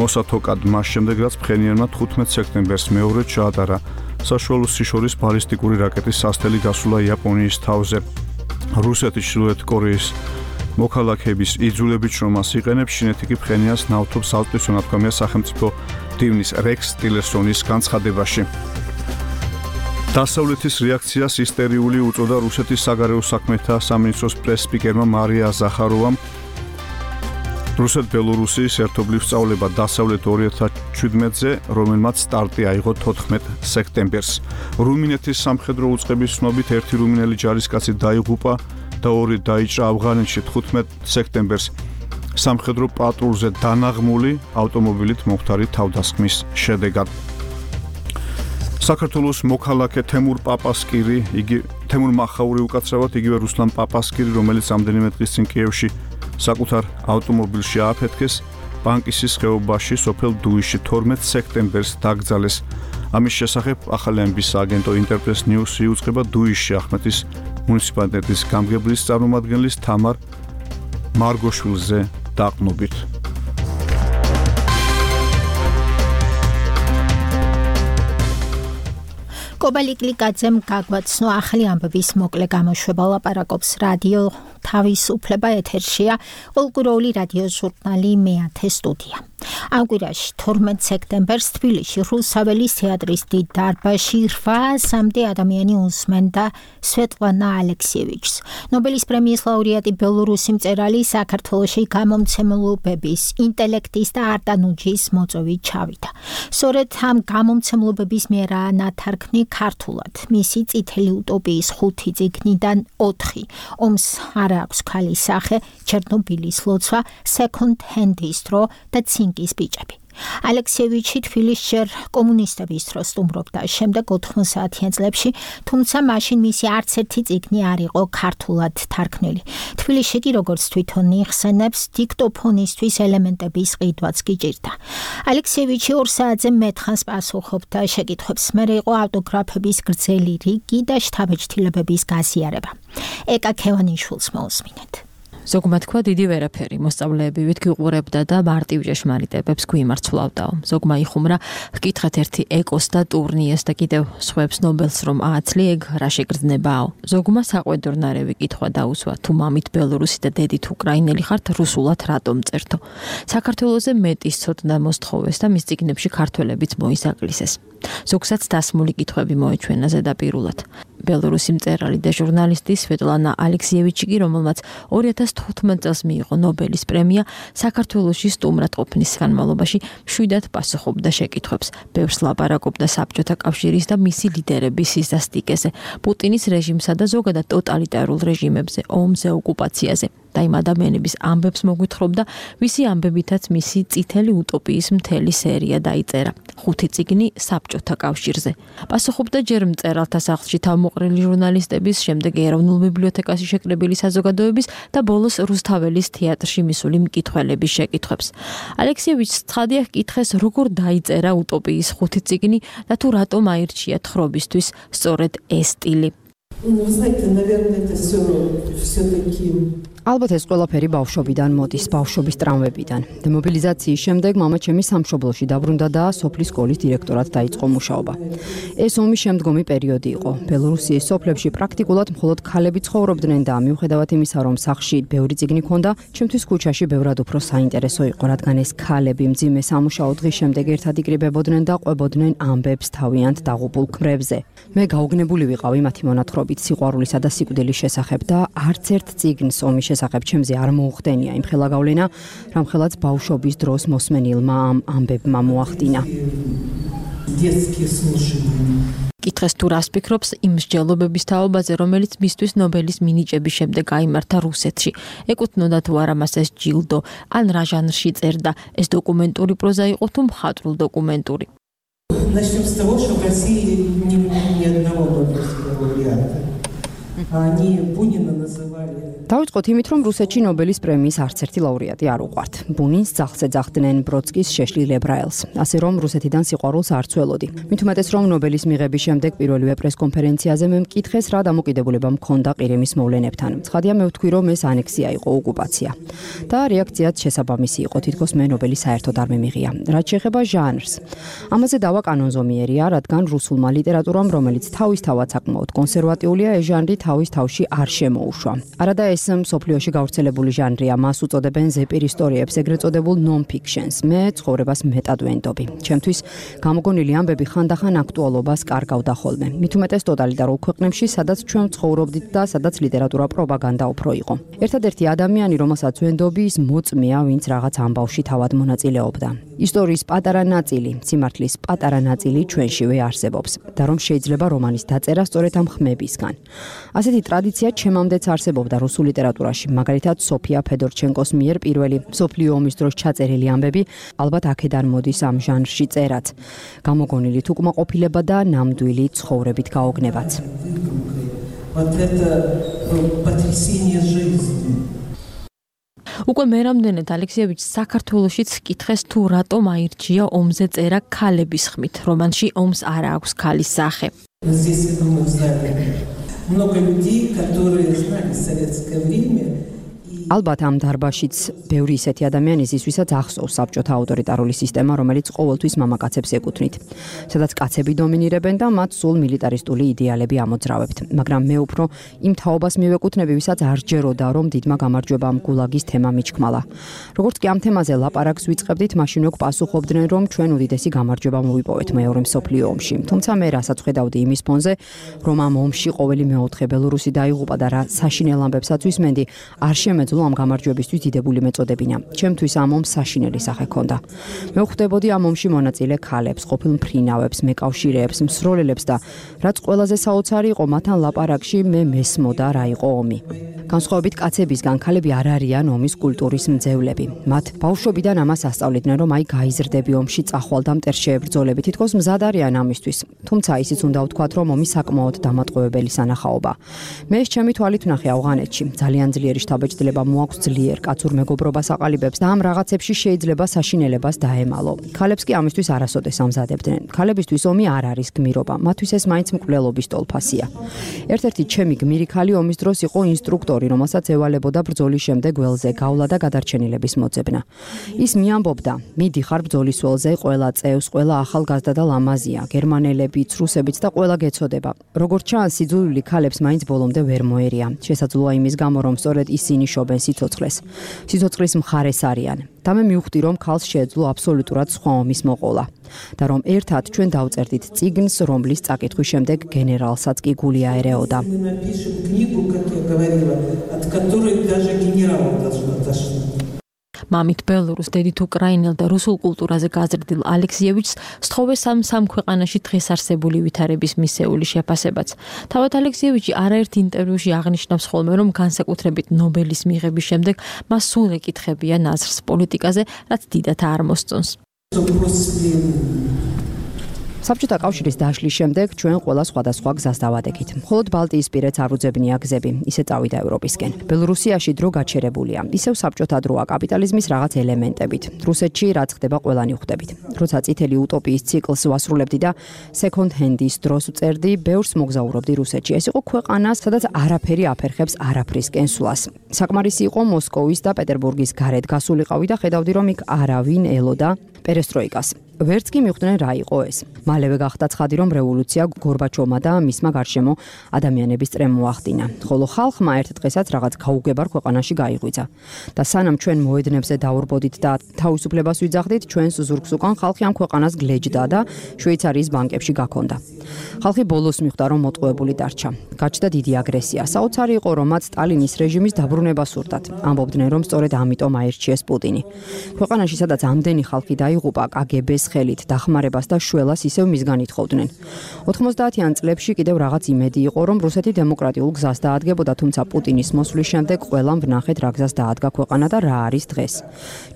მოსათოკად, მას შემდეგ რაც ფხენიანმა თხუთმეტ სექტემბერს მეორედ ჩაატარა საშუალო სიშორის ბალისტიკური რაკეტის სასთელი გასულა იაპონიის თავზე. რუსეთი ჩრდილოეთ კორეის მოქალაქეების იძულებით შრომას იყენებს, ჩინეთი კი ფხენიანს ნავთობს ალპის უნათქვამია სახელმწიფო დივნის რექს ტილერსონის განცხადებაში. დასავლეთის რეაქციას ისტერიული უწოდა რუსეთის საგარეო საქმეთა სამინისტროს პრეს-სპიკერმა მარია ზახაროვამ. რუსეთ-ბელორუსიის ერთობლივ სწავლება დასავლეთ ორი ათას შვიდმეტზე, რომელმაც სტარტი აიღო თოთხმეტ სექტემბერს. რუმინეთის სამხედრო უწყების ცნობით ერთი რუმინელი ჯარისკაცი დაიღუპა და ორი დაიჭრა ავღანეთში თხუთმეტ სექტემბერს სამხედრო პატრულზე დანაღმული ავტომობილით მომხდარი თავდასხმის შედეგად. საქართველოს მოქალაქე თემურ პაპასკირი, იგი თემურ მახაური უკაცრავად იგივე რუსლან პაპასკირი, რომელიც ამდენიმე დღის წინ კიევში საკუთარ ავტომობილში ააფეთქეს, ბანკისის ხეობაში სოფელ დუიში თორმეტ სექტემბერს დაკრძალეს. ამის შესახებ ახალი ამბის აგენტო ინტერპრეს ნიუსი იუწყება დუიში ახმეტის მუნიციპალიტეტის გამგებლის წარმომადგენლის თამარ მარგოშვილზე დაყნობით. კობალი გლიკაძემ გაგვაცნო ახალი ამბების მოკლე გამოშვება. ლაპარაკობს რადიო თავისუფლება, ეთერშია ყოველკვირეული რადიო ჟურნალი მეათე სტუდია. ამ კვირაში თორმეტ სექტემბერს თბილისში რუსაველის თეატრის დიდ დარბაზში რვაასამდე ადამიანი უსმენდა სვეტლანა ალექსიევიჩს, ნობელის პრემიის ლაურეატი ბელორუსი მწერალი საქართველოში გამომცემლობების, ინტელექტის და არტანუჯის მოწვევით ჩავიდა. სწორედ ამ გამომცემლობების მიერაა ნათარგმნი ქართულად მისი წითელი უტოპიის ხუთი წიგნიდან ოთხი. ომს არ აქვს ქალის სახე, ჩერნობილის ლოცვა, second hand distro და ცინკის ბიჭები. ალექსიევიჩი თბილისში ჯერ კომუნისტების დროს სტუმრობდა, შემდეგ ოთხმოცდაათიან წლებში, თუმცა მაშინ მისი არც ერთი წიგნი არ იყო ქართულად თარგმნილი. თბილისში კი როგორც თვითონ იხსენებს, დიქტოფონისთვის ელემენტების ყიდვაც გიჭირდა. ალექსიევიჩი ორ საათზე მეტხანს პასუხობდა შეკითხვებს, მერე იყო ავტოგრაფების გრძელი რიგი და შთაბეჭდილებების გაზიარება. ეკა ქევანიშვილს მოусმინეთ. ზოგმა თქვა დიდი ვერაფერი, მოსწავლეებივით გიყურებდა და მარტივ ჭეშმარიტებებს გვიმარცვლავდაო. ზოგმა იხუმრა, გკითხეთ ერთი ეკოს და ტურნიეს და კიდევ სხვებს ნობელს რომ ააცლი, ეგ რა შეგრძნებაო. ზოგმა საყვედურნარევი კითხვა დაუსვა, თუ მამით ბელორუსი და დედით უკრაინელი ხართ, რუსულად რატომ წერთო. საქართველოზე მეტის ცოდნა მოსთხოვეს და მის წიგნებში ქართველებიც მოისაკლისეს. ზოგსაც დასმული კითხვები მოეჩვენა ზედაპირულად. ბელორუსი მწერალი და ჟურნალისტი სვეტლანა ალექსიევიჩი კი, რომელმაც ორი ათას თხუთმეტ წელს მიიღო ნობელის პრემია, საქართველოში სტუმრად ყოფნის განმავლობაში მშვიდად პასუხობდა შეკითხვებს. ბევრს ლაპარაკობდა საბჭოთა კავშირის და მისი ლიდერების სისასტიკეზე, პუტინის რეჟიმსა და ზოგადად ტოტალიტარულ რეჟიმებზე, ომზე, ოკუპაციაზე. და იმ ადამიანების ამბებს მოგვითხრობდა, ვისი ამბებითაც მისი წითელი უტოპიის მთელი სერია დაიწერა. ხუთი წიგნი საბჭოთა კავშირზე. პასუხობდა ჯერ მწერალთა სახლში თავმოყრილი ჟურნალისტების, შემდეგ ეროვნულ ბიბლიოთეკაში შეკრებილი საზოგადოების და ბოლოს რუსთაველის თეატრში მისული მკითხველების შეკითხვებს. ალექსიევიჩს ცხადია ჰკითხეს, როგორ დაიწერა უტოპიის ხუთი წიგნი და თუ რატომ აირჩია თხრობისთვის სწორედ ეს სტილი. Ну, вы знаете, наверное, это все все-таки ალბათ ეს ყველაფერი ბავშვობიდან მოდის, ბავშვობის ტრამვებიდან. დემობილიზაციის შემდეგ მამა ჩემი სამშობლოში დაბრუნდა და სოფლის სკოლის დირექტორად დაიწყო მუშაობა. ეს ომის შემდგომი პერიოდი იყო. ბელორუსიის სოფლებში პრაქტიკულად მხოლოდ ქალები ცხოვრობდნენ და მიუხედავად იმისა, რომ სახლში ბევრი წიგნი ჰქონდა, ჩემთვის ქუჩაში ბევრად უფრო საინტერესო იყო, რადგან ეს ქალები მძიმე სამუშაო დღის შემდეგ ერთად იკრიბებოდნენ და ყვებოდნენ ამბებს თავიანთ დაღუპულ ქმრებზე. მე გაუგნებული ვიყავი მათი მონათხრობით სიყვარულისა და სიკვდილის შესახებ და არც ერთ წიგნს ომის შესახებ ჩემზე არ მოუხდენია იმ ხელა გავლენა, რამხელაც ბავშვობის დროს მოსმენილმა ამ ამბებმა მოახდინა. კითხეს თუ რას ფიქრობს იმ მსჯელობების თაობაზე, რომელიც მისთვის ნობელის მინიჭების შემდეგ გაიმართა რუსეთში. ეკუთვნოდა თუ არა მას ეს ჯილდო, ან რა ჟანრში წერდა, ეს დოკუმენტური პროზა იყო თუ მხატვრულ დოკუმენტური. Начнем с того, что в России ни, ни одного Нобелевского лауреата. Они Бунина называли. დავიწყოთ იმით, რომ რუსეთში ნობელის პრემიის არც ერთი ლაურეატი არ უყვართ. ბუნინს ძახს ეძახდნენ, ბროდსკის შეშლილ ებრაელს. ასე რომ რუსეთიდან სიყვარულს არ ცველოდი. მით უმეტეს რომ ნობელის მიღების შემდეგ პირველივე პრესკონფერენციაზე მე მკითხეს, რა დამოკიდებულება მქონდა ყირიმის მოვლენებთან. ცხადია მე ვთქვი, რომ ეს ანექსია იყო, ოკუპაცია. და რეაქციაც შესაბამისი იყო, თითქოს მე ნობელი საერთოდ არ მემიღია. რაც შეეხება ჟანრს. ამაზე დავა კანონზომიერია, რადგან რუსულმა ლიტერატურამ, რომელიც თავისთავად საკმაოდ კონსერვატიულია, ეს ჟანრი თავის თავში არ შემოუშვა. არადა ეს მსოფლიოში გავრცელებული ჟანრია, მას უწოდებენ ზეპირ ისტორიებს, ეგრეთ წოდებულ non-fictions. მე ცხოვრებას მეტად ვენდობი. ჩემთვის გამოგონილი ამბები ხანდახან აქტუალობას კარგავდა ხოლმე. მით უმეტეს ტოტალიტარულ ქვეყნებში, სადაც ჩვენ ცხოვრობდით და სადაც ლიტერატურა პროპაგანდა უფრო იყო. ერთადერთი ადამიანი, რომელსაც ვენდობი, ის მოწმეა, ვინც რაღაც ამბავში თავად მონაწილეობდა. ისტორიის პატარა ნაწილი, სიმართლის პატარა ნაწილი ჩვენშივე არსებობს და რომ შეიძლება რომანის დაწერა სწორედ ამ ხმებისგან. ასეთი ტრადიცია ჩემამდეც არსებობდა რუსულ ლიტერატურაში, მაგალითად სოფია ფედორჩენკოს მიერ პირველი მსოფლიო ომის დროს ჩაწერილი ამბები ალბათ აქედან მოდის ამ ჟანრში წერაც. გამოგონილი თუკმაყოფილება და ნამდვილი ცხოვრებით გაოგნებაც. უკვე მერამდენედ ალექსიევიჩს საქართველოშიც კითხეს თუ რატომ აირჩია ომზე წერა ქალების ხმით. რომანში ომს არ აქვს ქალის სახე. Много людей, которые знали советское время. ალბათ ამ დარბაშიც ბევრი ისეთი ადამიანი ის, ვისაც ახსოვს საბჭოთა ავტორიტარული სისტემა, რომელიც ყოველთვის მამაკაცებს ეკუთვნით, სადაც კაცები დომინირებენ და მათ სულ მილიტარისტული იდეალები ამოძრავებთ. მაგრამ მე უფრო იმ თაობას მივეკუთვნები, ვისაც არ ჯეროდა, რომ დიდმა გამარჯვებამ გულაგის თემა მიჩქმალა. როგორც კი ამ თემაზე ლაპარაკს ვიწყებდით, მაშინ უკვე პასუხობდნენ, რომ ჩვენ უდიდესი გამარჯვება მოვიპოვეთ მეორე მსოფლიო ომში. თუმცა მე რასაც ხედავდი იმის ფონზე, რომ ამ ომში ყოველი მეოთხე ბელორუსი დაიღუპა და რა საშინელ ამბებსაც ვისმენდი, არ შემეძლო ამ გამარჯვებისთვის დიდებული მეწოდებინა. ჩემთვის ამ ომს საშინელი სახე ჰქონდა. მე ვხვდებოდი ამ ომში მონაწილე ქალებს, ყოფილ მფრინავებს, მეკავშირეებს, მსროლელებს და რაც ყველაზე საოცარი იყო, მათთან ლაპარაკში მე მესმოდა რა იყო ომი. განსხვავებით კაცებისგან, ქალები არ არიან ომის კულტურის მძევლები. მათ ბავშვობიდან ამას ასწავლიდნენ, რომ აი გაიზრდები ომში წახვალ და მტერს შეებრძოლები, თითქოს მზად არიან ამისთვის. თუმცა ისიც უნდა ვთქვათ, რომ ომი საკმაოდ დამატყუებელი სანახაობა. მე ეს ჩემი თვალით ვნახე ავღანეთში. ძალიან ძლიერი შთაბეჭდილება მოაქვს ძლიერ კაცურ მეგობრობას აყალიბებს და ამ რაღაცებში შეიძლება საშინელებას დაემალო. ქალებს კი ამისთვის არასოდეს ამზადებდნენ. ქალებისთვის ომი არ არის გმირობა, მათთვის ეს მაინც მკვლელობის ტოლფასია. ერთ-ერთი ჩემი გმირი ქალი ომის დროს იყო ინსტრუქტორი, რომელსაც ევალებოდა ბრძოლის შემდეგ ველზე გავლა და გადარჩენილების მოძებნა. ის მიამბობდა: "მიდიხარ ბრძოლის ველზე, ყველა წევს, ყველა ახალგაზრდა და ლამაზია, გერმანელებიც, რუსებიც და ყველა გეცოდება. როგორც ჩანს, სიძულვილი ქალებს მაინც ბოლომდე ვერ მოერია. შესაძლოა იმის გამო, რომ სწორედ ისინი შობენ სიცოცხლეს. სიცოცხლის მხარეს არიან. და მე მივხვდი, რომ ქალს შეეძლო აბსოლუტურად სხვა ომის მოყოლა და რომ ერთად ჩვენ დავწერდით წიგნს, რომლის წაკითხვის შემდეგ გენერალსაც კი გული აერეოდა. მამით ბელორუს, დედით უკრაინელ და რუსულ კულტურაზე გაზრდილ ალექსიევიჩს სთხოვეს ამ სამ ქვეყანაში დღეს არსებული ვითარების მისეული შეფასებაც. თავად ალექსიევიჩი არაერთ ინტერვიუში აღნიშნავს ხოლმე, რომ განსაკუთრებით ნობელის მიღების შემდეგ მას სულ ეკითხებია ნაზრს პოლიტიკაზე, რაც დიდათ არ მოსწონს. საბჭოთა კავშირის დაშლის შემდეგ ჩვენ ყველა სხვადასხვა გზას დავადექით. მხოლოდ ბალტიისპირეთს არ უძებნია გზები, ისე წავიდა ევროპისკენ. ბელორუსიაში დრო გაჩერებულია, ისევ საბჭოთა დროა კაპიტალიზმის რაღაც ელემენტებით. რუსეთში რაც ხდება ყველანი ხვდებით. როცა წითელი утоპიის ციკლს ვასრულებდი და second hand-ის დროს ვწერდი, ბევრს მოგზაურობდი რუსეთში. ეს იყო ქვეყანა, სადაც არაფერი აფერხებს არაფრისკენ სვლას. საკმარისი იყო მოსკოვის და პეტერბურგის გარეთ გასულიყავი და ხედავდი, რომ იქ არავინ ელოდა პერესტროიკას. ვერც კი მიხვდნენ რა იყო ეს. მალევე გახდა ცხადი, რომ რევოლუცია გორბაჩოვმა და მისმა გარშემო ადამიანების წრემ მოახდინა. ხოლო ხალხმა ერთ დღესაც რაღაც გაუგებარ ქვეყანაში გაიღვიძა. და სანამ ჩვენ მოედნებზე დავრბოდით და თავისუფლებას ვიძახდით, ჩვენს ზურგს უკან ხალხი ამ ქვეყანას გლეჯდა და შვეიცარიის ბანკებში გაქონდა. ხალხი ბოლოს მიხვდა, რომ მოტყუებული დარჩა. გაჩნდა დიდი აგრესია. საოცარი იყო, რომ მათ სტალინის რეჟიმის დაბრუნება სურდათ. ამბობდნენ, რომ სწორედ ამიტომ აირჩიეს პუტინი. ქვეყანაში, სადაც ამდენი ხალხი დაიღუპა, კაგებეს ხელით დახმარებას და შველას ისევ მისგან ითხოვდნენ. ოთხმოცდაათიან წლებში კიდევ რაღაც იმედი იყო, რომ რუსეთი დემოკრატიულ გზას დაადგებოდა, თუმცა პუტინის მოსვლის შემდეგ ყველამ ვნახეთ რა გზას დაადგა ქვეყანა და რა არის დღეს.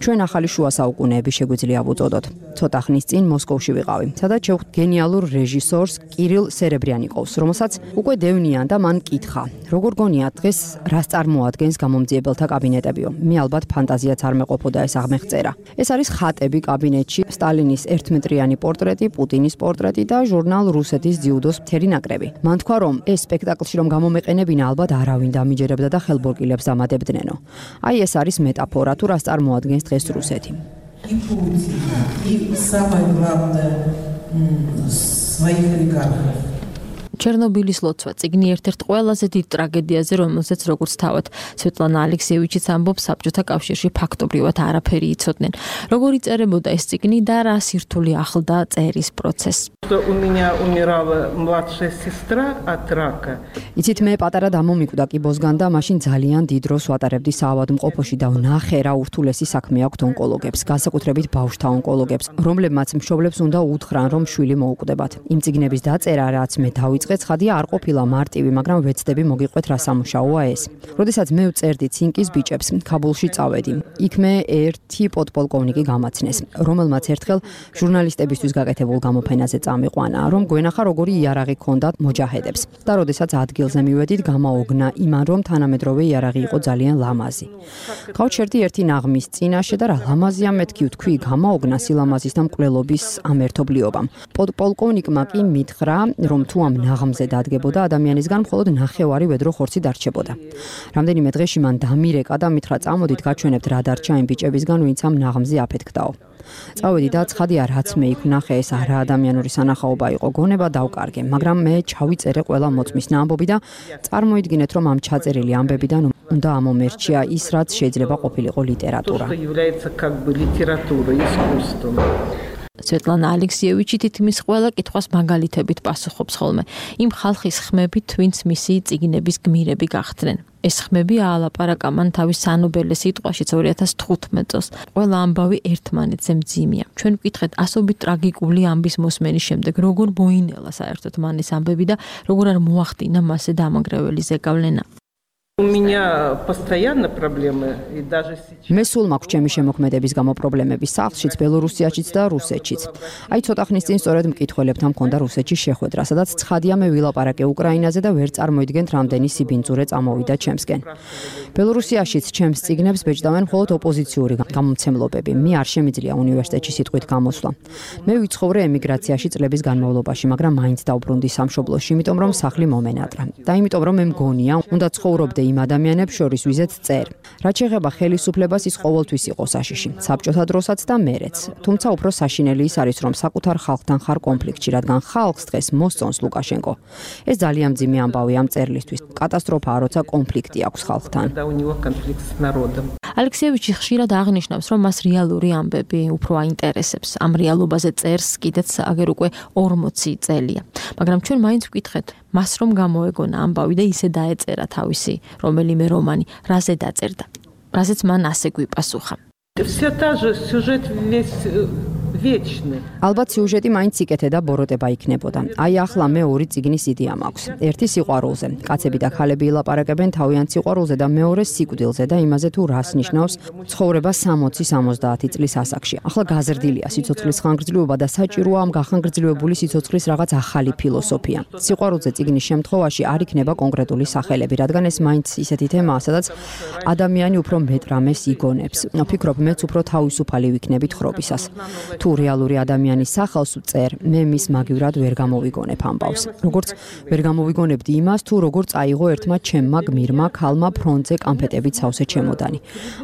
ჩვენ ახალი შუა საუკუნეები შეგვიძლია ვუწოდოთ. ცოტა ხნის წინ მოსკოვში ვიყავი, სადაც შევხვდით გენიალურ რეჟისორს კირილ სერებრიანიკოვს, რომელსაც უკვე დევნიან და მან კითხა, როგორ გონიათ დღეს რას წარმოადგენს გამომძიებელთა კაბინეტებიო. მე ალბათ ფანტაზიაც არ მეყოფოდა ეს აღმეხწერა. ეს არის ხატები კაბინეტში, სტალინის ერთმეტრიანი პორტრეტი, პუტინის პორტრეტი და ჟურნალ რუსეთის ძიუდოს მთელი ნაკრები. მან თქვა, რომ ეს სპექტაკლში რომ გამომეყენებინა, ალბათ არავინ დამიჯერებდა და ხელბორკილებს ამადებდნენო. აი ეს არის მეტაფორა, თუ რას წარმოადგენს დღეს რუსეთი. И Путин, и самое главное, своих олигархов. ჩერნობილის ლოცვა წიგნი ერთ-ერთ ყველაზე დიდ ტრაგედიაზე, რომელსაც როგორც თავად სვეტლანა ალექსიევიჩიც ამბობს, საბჭოთა კავშირში ფაქტობრივად არაფერი იცოდნენ. როგორ იწერებოდა ეს წიგნი და რა სირთულე ახლდა წერის პროცესს. У меня умирала младшая сестра от рака. იცით, მე პატარა დამომიკვდა კიბოსგან და მაშინ ძალიან დიდ დროს ვატარებდი საავადმყოფოში და ვნახე რა ურთულესი საქმე აქვთ ონკოლოგებს, განსაკუთრებით ბავშვთა ონკოლოგებს, რომლებმაც მშობლებს უნდა უთხრან, რომ შვილი მოუკვდებათ. იმ წიგნების დაწერა, რაც მე დავიწყე, ცხადია არ ყოფილა მარტივი, მაგრამ ვეცდები მოგიყვეთ რა სამუშაოა ეს. როდესაც მე ვწერდი ცინკის ბიჭებს, ქაბულში წავედი. იქ მე ერთი პოდპოლკოვნიკი გამაცნეს, რომელმაც ერთხელ ჟურნალისტებისთვის გაკეთებულ გამოფენაზე წამიყვანა, რომ გვენახა როგორი იარაღი ჰქონდათ მოჯაჰედებს. და როდესაც ადგილზე მივედით, გამაოგნა იმან, რომ თანამედროვე იარაღი იყო ძალიან ლამაზი. გავჩერდი ერთი ნაღმის წინაშე და რა ლამაზია მეთქი ვთქვი, გამაოგნა სილამაზის და მკვლელობის ამ ერთობლიობამ. პოდპოლკოვნიკმა კი მითხრა, რომ თუ ამ ნაღმზე დადგებოდა ადამიანისგან მხოლოდ ნახევარი ვედრო ხორცი დარჩებოდა. რამდენიმე დღეში მან დამირეკა და მითხრა, წამოდით გაჩვენებთ რა დარჩა იმ ბიჭებისგან, ვინც ამ ნაღმზე აფეთქდაო. წავედი და ცხადია, რაც მე იქ ვნახე, ეს არაადამიანური სანახაობა იყო, გონება დავკარგე, მაგრამ მე ჩავიწერე ყველა მოწმის ნამბობი და წარმოიდგინეთ, რომ ამ ჩაწერილი ამბებიდან უნდა ამომერჩია ის, რაც შეიძლება ყოფილიყო ლიტერატურა. სვეტლანა ალექსიევიჩი თითქმის ყველა კითხვას მაგალითებით პასუხობს ხოლმე. იმ ხალხის ხმებით, ვინც მისი წიგნების გმირები გახდნენ. ეს ხმები აალაპარაკა მან თავის სანობელე სიტყვაშიც ორი ათას თხუთმეტ წელს. ყველა ამბავი ერთმანეთზე მძიმეა. ჩვენ ვკითხეთ ასობით ტრაგიკული ამბის მოსმენის შემდეგ, როგორ მოინელა საერთოდ მან ეს ამბები და როგორ არ მოახდინა მასზე დამანგრეველი ზეგავლენა. У меня постоянно проблемы и даже сейчас. მე სულ მაქვს ჩემი შემოქმედების გამო პრობლემები სახლშიც, ბელორუსიაშიც და რუსეთშიც. აი ცოტა ხნის წინ სწორედ მკითხველებთან მქონდა რუსეთში შეხვედრა, სადაც ცხადია მე ვილაპარაკე უკრაინაზე და ვერ წარმოიდგენთ რამდენი სიბინძურე წამოვიდა ჩემსკენ. ბელორუსიაშიც ჩემს წიგნებს ბეჭდავენ მხოლოდ ოპოზიციური გამომცემლობები. მე არ შემიძლია უნივერსიტეტში სიტყვით გამოსვლა. მე ვიცხოვრე ემიგრაციაში წლების განმავლობაში, მაგრამ მაინც დავბრუნდი სამშობლოში, იმიტომ რომ სახლი მომენატრა. და იმიტომ რომ მე მგონია, უნდა ცხოვრობდე იმ ადამიანებს შორის ვიზეთ წერ. რაც შეეხება ხელისუფლებას, ის ყოველთვის იყო საშიში, საბჭოთა დროსაც და მერეც. თუმცა უფრო საშინელი ის არის, რომ საკუთარ ხალხთან ხარ კონფლიქტში, რადგან ხალხს დღეს მოსწონს ლუკაშენკო. ეს ძალიან მძიმე ამბავი ამ წერლისთვის. კატასტროფაა, როცა კონფლიქტი აქვს ხალხთან. ალექსიევიჩი ხშირად აღნიშნავს, რომ მას რეალური ამბები უფრო აინტერესებს. ამ რეალობაზე წერს კიდეც აგერ უკვე ორმოცი წელია. მაგრამ ჩვენ მაინც ვკითხეთ, მას რომ გამოეგონა ამბავი და ისე დაეწერა თავისი რომელიმე რომანი, რაზე დაწერდა. რაზეც მან ასე გვიპასუხა. Вся та же сюжет весь вечны. ალბათ სიუჟეტი მაინც იკეთე და ბოროტება იქნებოდა. აი ახლა მე ორი წიგნის იდეა მაქვს. ერთი სიყვარულზე. კაცები და ხალები ილაპარაკებენ თავიანთ სიყვარულზე და მეორე სიკვდილზე და იმაზე თუ რას ნიშნავს ცხოვრება სამოცი სამოცდაათი წლის ასაკში. ახლა გაზრდილია სიცოცხლის ხანგრძლივობა და საჭიროა ამ გახანგრძლივებული სიცოცხლის რაღაც ახალი ფილოსოფია. სიყვარულზე წიგნის შემთხვევაში არ იქნება კონკრეტული სახელები, რადგან ეს მაინც ისეთი თემაა, სადაც ადამიანი უფრო მეტ რამეს იგონებს. ვფიქრობ, მეც უფრო თავისუფალი ვიქნები თხრობისას. თუ რეალური ადამიანის სახელს ვწერ, მე მის მაგივრად ვერ გამოვიგონებ ამბავს. როგორც ვერ გამოვიგონებდი იმას, თუ როგორ წაიღო ერთმა ჩემმა გმირმა ქალმა ფრონტზე კამფეტებით სავსე ჩემოდანი.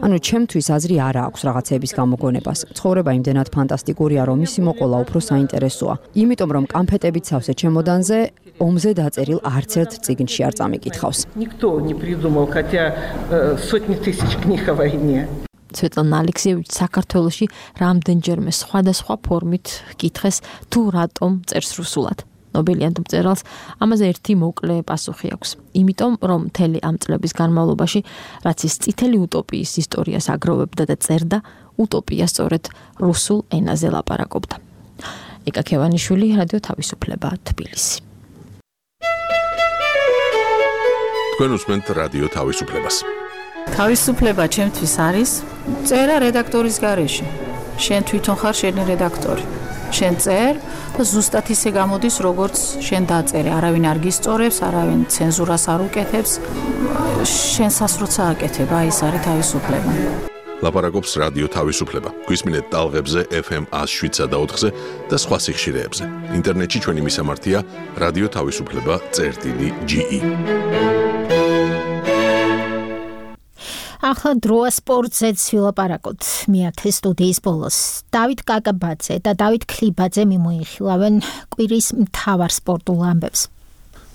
ანუ ჩემთვის აზრი არ აქვს რაღაცების გამოგონებას. ცხოვრება იმდენად ფანტასტიკურია, რომ ისი მოყოლა უფრო საინტერესოა. იმიტომ რომ კამფეტებით სავსე ჩემოდანზე ომზე დაწერილ არც ერთ წიგნში არ წამიკითხავს. Никто не придумал, хотя э, сотни тысяч книг о войне. სვეტლანა ალექსიევიჩი საქართველოში რამდენჯერმე სხვადასხვა ფორმით კითხეს თუ რატომ წერს რუსულად. ნობელიანტ მწერალს ამაზე ერთი მოკლე პასუხი აქვს. იმიტომ რომ მთელი ამ წლების განმავლობაში რაც ის წითელი უტოპიის ისტორიას აგროვებდა და წერდა, უტოპია სწორედ რუსულ ენაზე ლაპარაკობდა. იკა ქევანიშვილი, რადიო თავისუფლება, თბილისი. თქვენ უსმენთ რადიო თავისუფლებას. თავისუფლება ჩემთვის არის წერა რედაქტორის გარეშე. შენ თვითონ ხარ შენი რედაქტორი. შენ წერ და ზუსტად ისე გამოდის, როგორც შენ დაწერე. არავინ არ გისწორებს, არავინ ცენზურას არ უკეთებს. შენსას როცა აკეთებ, აი ეს არის თავისუფლება. ლაპარაკობს რადიო თავისუფლება. გვისმინეთ ტალღებზე ეფ ემ one oh seven და ოთხზე და სხვა სიხშირეებზე. ინტერნეტში ჩვენი მისამართია რადიო თავისუფლება წერტილი ჯი ი. ახლა დროა სპორტზეც ვილაპარაკოთ. მეათე სტუდიის ბოლოს დავით კაკაბაძე და დავით ქლიბაძე მიმოიხილავენ კვირის მთავარ სპორტულ ამბებს.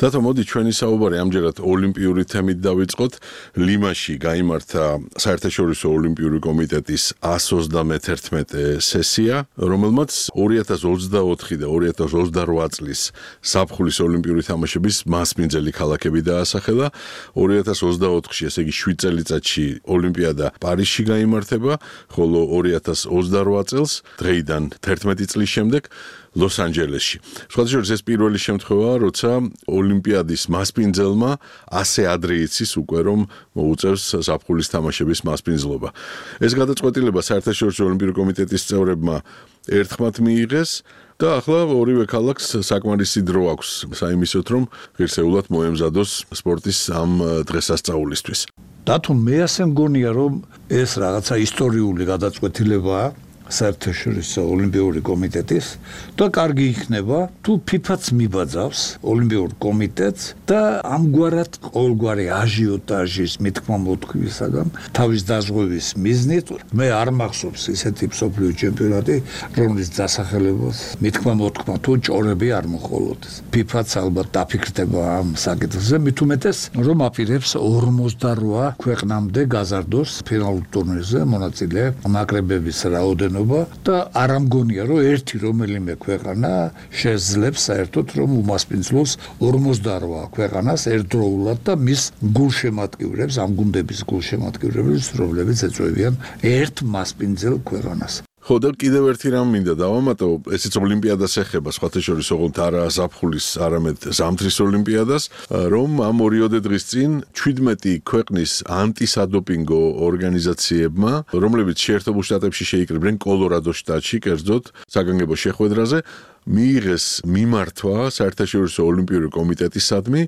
დათო, მოდი ჩვენი საუბარი ამჯერად ოლიმპიური თემით დავიწყოთ. ლიმაში გაიმართა საერთაშორისო ოლიმპიური კომიტეტის one hundred thirty-one სესია, რომელმაც ორი ათას ოცდაოთხი და ორი ათას ოცდარვა წლის ზაფხულის ოლიმპიური თამაშების მასპინძელი ქალაქები დაასახელა. ორი ათას ოცდაოთხში, ესე იგი შვიდ წელიწადში ოლიმპიადა პარიზში გაიმართება, ხოლო ორი ათას ოცდარვა წელს დღეიდან თერთმეტი წლის შემდეგ ლოს-ანჯელესში. სხვადასხვა ეს პირველი შემთხვევაა, როცა ოლიმპიადის მასპინძელმა ასე ადრე იცის უკვე რომ მოუწევს ზაფხულის თამაშების მასპინძლობა. ეს გადაწყვეტილება საერთაშორისო ოლიმპიური კომიტეტის წევრებმა ერთხმად მიიღეს და ახლა ორივე ქალაქს საკმარისი დრო აქვს საიმისოთ, რომ ღირსეულად მოემზადოს სპორტის ამ დღესასწაულისთვის. დათო, მე ასე მგონია, რომ ეს რაღაცა ისტორიული გადაწყვეტილებაა საერთაშორისო ოლიმპიური კომიტეტის და კარგი იქნება თუ ფიფაც მიბაძავს ოლიმპიურ კომიტეტს და ამგვარად ყოველგვარი აჟიოტაჟის მithkma მოთქვისაგან თავის დაზღვევის მიზნით მე არ მახსოვს ისეთი მსოფლიო ჩემპიონატი, რომლის დასახელებას მithkma მოთქმა თუ ჭორები არ მოხოლოდეს. ფიფაც ალბათ დაფიქრდება ამ საკითხზე, მით უმეტეს რომ აპირებს ორმოცდარვა ქვეყნამდე გაზარდოს ფინალურ ტურნირზე მონაწილე ნაკრებების რაოდენობა და არ ამგონია, რომ ერთი რომელიმე ქვეყანა შეძლებს საერთოდ რომ უმასპინძლოს ორმოცდარვა ქვეყანას ერთდროულად და მის გულშემატკივრებს, ამ გუნდების გულშემატკივრებს, რომლებიც ეწევიან ერთ მასპინძელ ქვეყანას. ხო და კიდევ ერთი რამ მინდა დავამატო, ესეც ოლიმპიადას ეხება, სხვათა შორის ოღონდ არა ზაფხულის, არამედ ზამთრის ოლიმპიადას, რომ ამ ორიოდე დღის წინ შვიდმეტი ქვეყნის ანტისადოპინგო ორგანიზაციებმა, რომლებიც შეერთებულ შტატებში შეიკრიბნენ კოლორადოს შტატში, კერძოდ საგანგებო შეხვედრაზე, მიიღეს მიმართვა საერთაშორისო ოლიმპიური კომიტეტისადმი,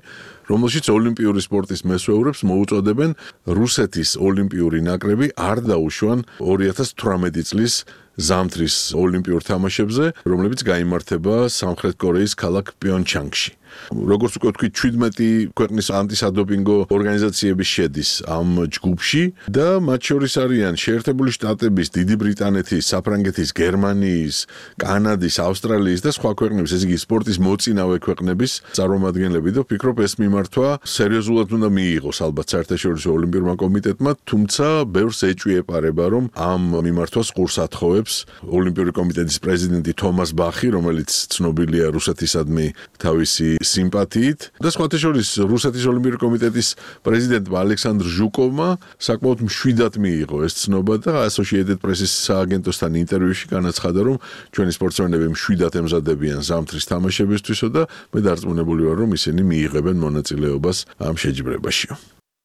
რომელშიც ოლიმპიური სპორტის მესვეურებს მოუწოდებენ რუსეთის ოლიმპიური ნაკრები არ დაუშვან ორი ათას თვრამეტი წლის ზამთრის ოლიმპიურ თამაშებზე, რომლებიც გაიმართება სამხრეთ კორეის ქალაქ პიონჩანგში. როგორც უკვე ვთქვით, შვიდმეტი ქვეყნის ანტისადოპინგო ორგანიზაციები შედის ამ ჯგუფში და მათ შორის არიან შეერთებული შტატების, დიდი ბრიტანეთის, საფრანგეთის, გერმანიის, კანადის, ავსტრალიის და სხვა ქვეყნების, ესე იგი სპორტის მოწინავე ქვეყნების წარმომადგენლები და ვფიქრობ ეს მიმართვა სერიოზულად უნდა მიიღოს ალბათ საერთაშორისო ოლიმპიურმა კომიტეტმა, თუმცა ბევრს ეჭვი ეპარება, რომ ამ მიმართვას ყურს ათხოვებს ოლიმპიური კომიტეტის პრეზიდენტი თომას ბახი, რომელიც ცნობილია რუსეთისადმი თავისი სიმპათიით და სხვათა შორის რუსეთის ოლიმპიური კომიტეტის პრეზიდენტმა ალექსანდრ ჟუკოვმა საკმაოდ მშვიდად მიიღო ეს ცნობა და Associated Press-ის სააგენტოსთან ინტერვიუში განაცხადა, რომ ჩვენი სპორტსმენები მშვიდად ემზადებიან ზამთრის თამაშებისთვისო და მე დარწმუნებული ვარ, რომ ისინი მიიღებენ მონაწილეობას ამ შეჯიბრებაში.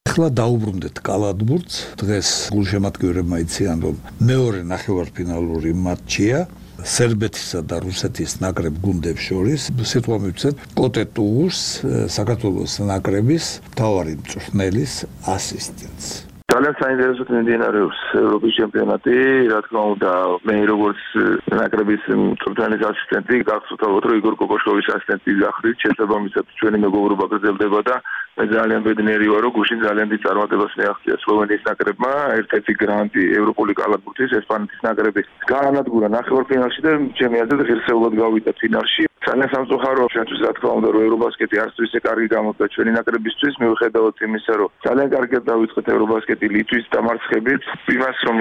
ახლა დაუბრუნდეთ კალათბურთს. დღეს გულშემატკივრებმა იციან, რომ მეორე ნახევარფინალური მატჩია სერბეთისა და რუსეთის ნაკრებ გუნდებს შორის. სიტყვა მივცეთ კოტეტუს საქართველოს ნაკრების მთავარი მწვრთნელის ასისტენტს. ძალიან საინტერესოდ მიმდინარეობს ევროპის ჩემპიონატი, რა თქმა უნდა, მე როგორც ნაკრების მწვრთნელის ასისტენტი გახსოვთ, რომ იგორ კოკოშკოვის ასისტენტი გახდით, შესაბამისად ჩვენი მეგობრობა გრძელდება და მე ძალიან ბედნიერი ვარ, რომ გუშინ ძალიან დიდ წარმატებას მიაღწია სლოვენიის ნაკრებმა, ერთ-ერთი გრანტი ევროპული კალათბურთის ესპანეთის ნაკრების გაანადგურა ნახევარფინალში და ჩემი აზრით ღირსეულად გავიდა ფინალში. ძალიან სამწუხაროა ჩვენთვის, რა თქმა უნდა, რომ ევრობასკეტი არც თუ ისე კარგი გამოდგა ჩვენი ნაკრებისთვის, მიუხედავად იმისა, რომ ძალიან კარგად დავიწყეთ ევრობასკეტი ლიტვის დამარცხებით, იმას რომ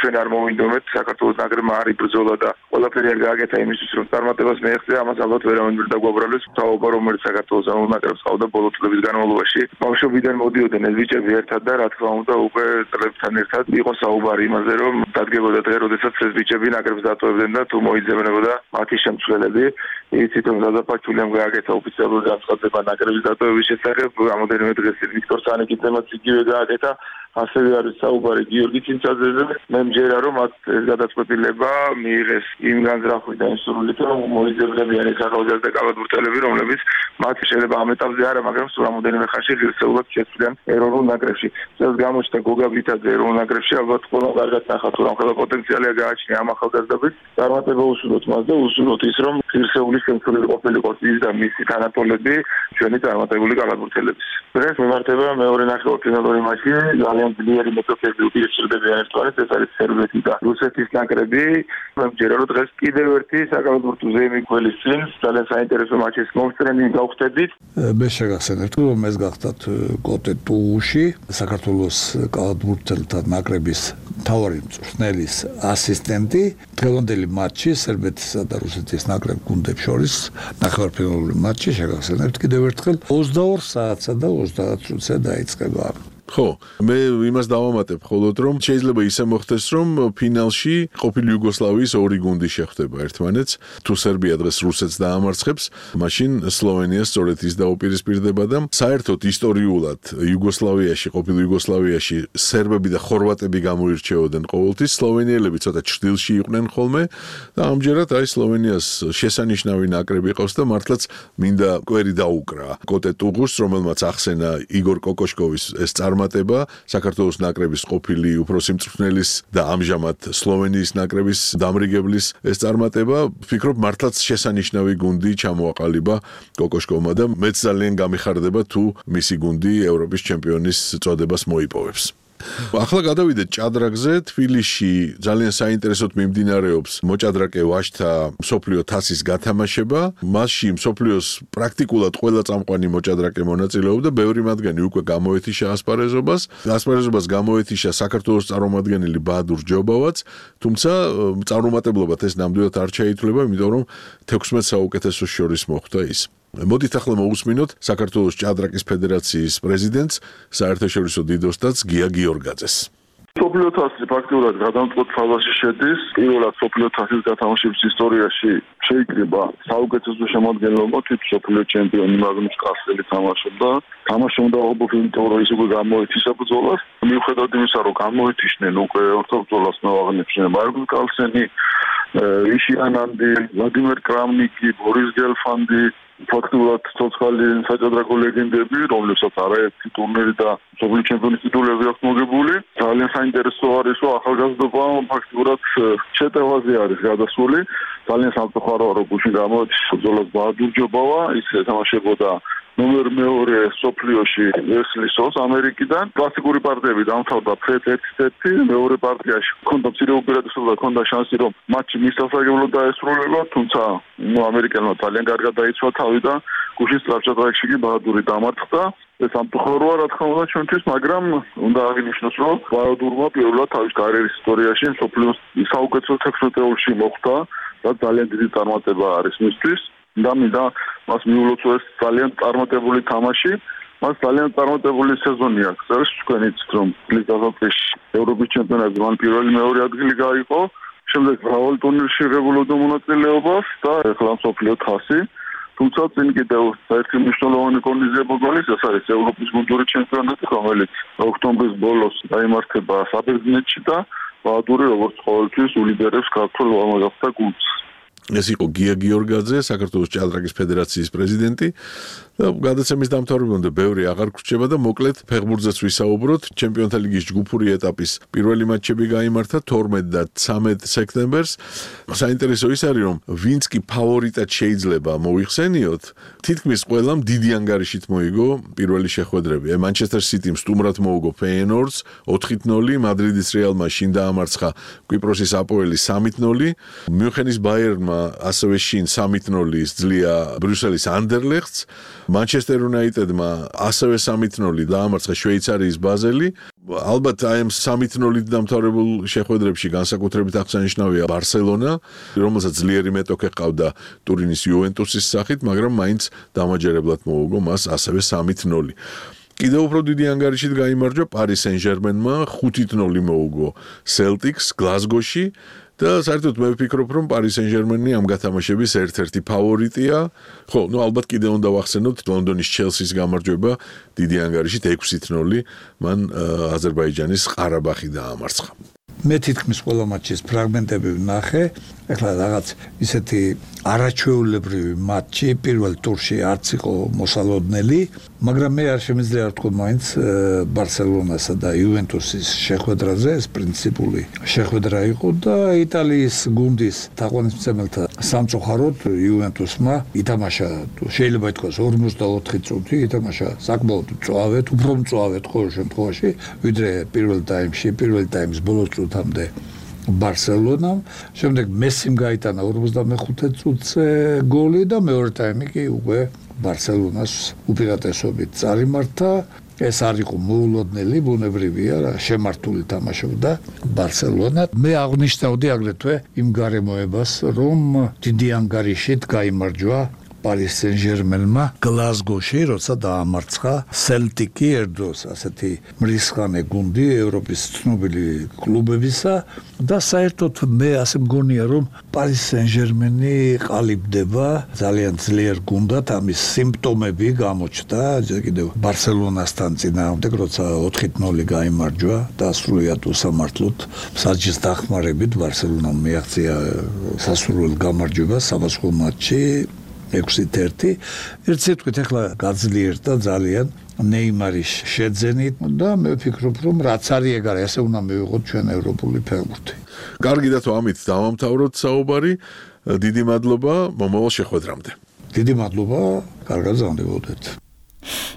ჩვენ არ მოვინდომეთ, საქართველოს ნაკრებმა არ იბრძოლა და ყველაფერი არ გააკეთა იმისთვის, რომ წარმატებას მიაღწია, ამას ალბათ ვერავინ ვერ დაგვაბრალებს. თავობა რომელიც საქართველოს ნაკრებს ყავდა ბოლო წლების განმავლობაში, ბავშვობიდან მოდიოდნენ ეს ბიჭები ერთად და რა თქმა უნდა, უკვე წლებთან ერთად იყო საუბარი იმაზე, რომ დადგებოდა დღე, როდესაც ეს ბიჭები ნაკრებს დატოვებდნენ და თუ მოიძებნებოდა მათი შემცველები. იცით რომ დადაფაჩულიამ გააკეთა ოფიციალური განცხადება ნაკრების დატოვების შესახებ, რამოდენიმე დღეს ვიქტორ სანიკიძემაც იგივე გააკეთა, ასევე არის საუბარი გიორგი ცინცაძეზე. მე მჯერა რომ მათ ეს გადაწყვეტილება მიიღეს იმ განზრახვით და იმ სურვილით, რომ მოიძებნებიან ეს ახალგაზრდა კალათბურთელები, რომლებიც მათ შეიძლება ამ ეტაპზე არა, მაგრამ სულ რამოდენიმე ხანში ღირსეულად შეცვლიან ეროვნულ ნაკრებში. ეს გამოჩნდა გოგა ბითაძე ეროვნულ ნაკრებში, ალბათ ყველა კარგად ნახავთ, რომ ახლა პოტენციალია გააჩნია ამ ახალგაზრდებს. წარმატება უსურვოთ მას და უსურვოთ ის, რომ ღირსეული შემცვლელი ყოფილიყო ის და მისი თანატოლები ჩვენი წარმატებული კალათბურთელების. დღეს მიმართება მეორე ნახევარფინალური მატჩი, ძალიან ძლიერი მეტოქები უპირისპირდებიან ერთმანეთს, ეს არის სერბეთი და რუსეთის ნაკრები. მე მჯერა რომ დღეს კიდევ ერთი საკალათბურთო ზეიმი ქველის წინ ძალიან საინტერესო მატჩის მომსწრენი გავხდებით. მე შეგახსენებთ, რომ ეს გახდათ კოტეტუში საქართველოს კალათბურთელთა ნაკრების მთავარი მწვრთნელის ასისტენტი. დღევანდელი მატჩი სერბეთისა და რუსეთის ნაკრებ გუნდებს შორის ნახევარფინალური მატჩი შეგახსენებთ კიდევ ერთხელ ოცდაორ საათსა და ოცდაათ წუთზე დაიწყება. ხო, მე იმას დავამატებ მხოლოდ, რომ შეიძლება ისე მოხდეს, რომ ფინალში ყოფილი იუგოსლავიის ორი გუნდი შეხვდება ერთმანეთს. თუ სერბია დღეს რუსეთს დაამარცხებს, მაშინ სლოვენია სწორედ ის დაუპირისპირდება და საერთოდ ისტორიულად იუგოსლავიაში, ყოფილი იუგოსლავიაში სერბები და ხორვატები გამოირჩეოდნენ ყოველთვის, სლოვენიელები ცოტა ჩრდილში იყვნენ ხოლმე და ამჯერად აი სლოვენიას შესანიშნავი ნაკრები ყავს და მართლაც მინდა კვერი დაუკრა კოტეტუღუს, რომელმაც ახსენა იგორ კოკოშკოვის ეს წარმატება საქართველოს ნაკრების ყოფილი უფროსი მწვრთნელის და ამჟამად სლოვენიის ნაკრების დამრიგებლის ეს წარმატება, ვფიქრობ მართლაც შესანიშნავი გუნდი ჩამოაყალიბა კოკოშკოვმა და მეც ძალიან გამიხარდება თუ მისი გუნდი ევროპის ჩემპიონის წოდებას მოიპოვებს. ახლა გადავიდეთ ჭადრაკზე. თბილისში ძალიან საინტერესოდ მიმდინარეობს მოჭადრაკე ვაჟთა მსოფლიო თასის გათამაშება. მასში მსოფლიოს პრაქტიკულად ყველა წამყვანი მოჭადრაკე მონაწილეობდა, ბევრი მათგანი უკვე გამოეთიშა ასპარეზობას. ასპარეზობას გამოეთიშა საქართველოს წარმომადგენელი ბაადურ ჯობავაც, თუმცა წარუმატებლობად ეს ნამდვილად არ ჩაითვლება, იმიტომ რომ თექვსმეტ საუკეთესოს შორის მოხვდა ის. მოდით ახლა მოусმინოთ საქართველოს ჭადრაკის ფედერაციის პრეზიდენტს, საერთაშორისო დიდოსტატს გია გიორგაძეს. სოფლიო თასი ფაქტიურად გადამწყვეტ ფაზაში შედის. პირველად სოფლიო თასის გათამაშების ისტორიაში შეიკრიბა საუკეთესო შემადგენლობა, თვით სოფლიო ჩემპიონი მაგნუს კარლსელი თამაშობდა. თამაშობდა ობოფინტორო ის უკვე გამოეთიშა ბრძოლას. მიუხედავად იმისა, რომ გამოეთიშნენ უკვე ორთო ბრძოლას მოაღწიებდნენ მარგულ კარლსენი, იში ანანდი, ვლადიმერ კრამნიკი, ბორის გელფანდი, ფაქტურად ცოცხალი საჭადრაკო ლეგენდები, რომლებსაც არაერთი ტურნირი და მსოფლიო ჩემპიონის ტიტულები აქვს მოგებული. ძალიან საინტერესო არის, რომ ახალგაზრდობა ფაქტურად შეტევაზე არის გადასული. ძალიან სამწუხაროა, რომ გუშინ გამოეთიშა ბრძოლას ბაადურ ჯობავა, ის ეთამაშებოდა ნომერ მეორე სოფლიოში ესლისოს ამერიკიდან კლასიკური პარტიები დამთავრდა ფრედ ერთ-ერთი, მეორე პარტიაში ჰქონდა მცირე უპირატესობა და ჰქონდა შანსი რომ მატჩი მის სასარგებლოდ დაესრულება, თუმცა ნუ ამერიკელმა ძალიან კარგად დაიცვა თავი და გუშინ სწრაფჭადრაკში კი ბაჰადური დამარცხდა. ეს ამტყოროა რა თქმა უნდა ჩვენთვის, მაგრამ უნდა აღინიშნოს რომ ბაჰადურმა პირველად თავის კარიერის ისტორიაში მსოფლიოს საუკეთესო თექვსმეტეულში მოხვდა, რაც ძალიან დიდი წარმატება არის მისთვის. და მინდა მას მიულოცოს ძალიან წარმატებული თამაში, მას ძალიან წარმატებული სეზონი აქვს. ეს თქვენიც რომ ლიგასოფეში ევროპის ჩემპიონატზე მან პირველი მეორე ადგილი გაიყო, შემდეგ მრავალ ტურნირში ღებულობდა მონაწილეობას და ეხლა მსოფლიო თასი. თუმცა წინ კიდევ საერთო მნიშვნელოვანი კონიზება გოლის, ეს არის ევროპის გუნდური ჩემპიონატი, რომელიც ოქტომბრის ბოლოს დაიმართება საბერძნეთში და ბაჰადური როგორც ყოველთვის ულიდერებს ქართულ ამაგაფთა გუნდს. ეს იყო გია გიორგაძე, საქართველოს ჭადრაკის ფედერაციის პრეზიდენტი და გადაცემის დამთავრებამდე ბევრი აღარ გრჩება და მოკლედ ფეხბურთზეც ვისაუბროთ. ჩემპიონთა ლიგის ჯგუფური ეტაპის პირველი მატჩები გაიმართა თორმეტ და ცამეტ სექტემბერს. საინტერესო ის არის რომ ვინც კი ფავორიტად შეიძლება მოიხსენიოთ, თითქმის ყველამ დიდი ანგარიშით მოიგო პირველი შეხვედრები. მანჩესტერ სიტიმ სტუმრად მოუგო ფეიენორდს ოთხ ნული, მადრიდის რეალმა შინ დაამარცხა კვიპროსის აპოელი სამი ნული, მიუნხენის ბაიერნმა ასევე შინ სამი ნული ძლია ბრიუსელის ანდერლეხტს, მანჩესტერ იუნაიტედმა ასევე სამი ნული დაამარცხა შვეიცარიის ბაზელი. ალბათ აი ამ სამი ნულით დამთავრებულ შეხვედრებში განსაკუთრებით აღსანიშნავია ბარსელონა, რომელსაც ძლიერი მეტოქე ჰყავდა ტურინის იუვენტუსის სახით, მაგრამ მაინც დამაჯერებლად მოუგო მას ასევე სამი ნული. კიდევ უფრო დიდი ანგარიშით გაიმარჯვა პარი სენ-ჟერმენმა, ხუთი ნული მოუგო სელტიკს გლაზგოში. და საერთოდ მე ვფიქრობ რომ პარი სენ-ჟერმენი ამ გათამაშების ერთ-ერთი ფავორიტია. ხო, ნუ ალბათ კიდევ უნდა ვახსენოთ ლონდონის ჩელსის გამარჯვება დიდი ანგარიშით ექვსი ნული, მან აზერბაიჯანის ყარაბაღი დაამარცხა. მე თითქმის ყველა მატჩის ფრაგმენტები ვნახე. ეხლა რაღაც ისეთი არაჩვეულებრივი მატჩი პირველ ტურში არც იყო მოსალოდნელი, მაგრამ მე არ შემიძლია ვთქვა მაინც ბარსელონასა და იუვენტუსის შეხვედრაზე ეს პრინციპული შეხვედრა იყო და იტალიის გუნდის თაყვანისმცემელთა სამწუხაროდ იუვენტუსმა ითამაშა, შეიძლება ითქვას ორმოცდაოთხი წუთი ითამაშა საკმაოდ მწვავედ, უფრო მწვავედ ყოველ შემთხვევაში, ვიდრე პირველ ტაიმში, პირველ ტაიმის ბოლო წუთამდე ბარსელონამ. შემდეგ მესიმ გაიტანა ორმოცდამეხუთე წუთზე გოლი და მეორე ტაიმი კი უკვე ბარსელონას უპირატესობით წარიმართა. ეს არ იყო მოულოდნელი, ბუნებრივია, შემართული თამაშობდა ბარსელონა. მე აღნიშნავდი აგრეთვე იმ გარემოებას, რომ დიდი ანგარიშით გაიმარჯვა პარი სენ-ჟერმენმა გლაზგოში, როცა დაამარცხა სელტიკი, ერთდროს ასეთი მრისხანე გუნდი ევროპის ცნობილი კლუბებისა და საერთოდ მე ასე მგონია რომ პარი სენ-ჟერმენი ყალიბდება ძალიან ძლიერ გუნდად, ამის სიმპტომები გამოჩნდა კიდევ ბარსელონასთან წინააღმდეგ, როცა ოთხი ნული გაიმარჯვა და სრულიად უსამართლოდ საჯის დახმარებით ბარსელონამ მიაღწია სასურველ გამარჯვებას სამასხო მატჩში ექვსი ერთი. ერთ სიტყვით ახლა გაძლიერდა ძალიან ნეიმარის შეძენით და მე ვფიქრობ რომ რაც არის ეგ არის, ასე უნდა მივიღოთ ჩვენ ევროპული ფეხბურთი. კარგი და თუ ამით დავამთავროთ საუბარი, დიდი მადლობა მომავალ შეხვედრამდე. დიდი მადლობა, კარგად გრძნდებოდეთ.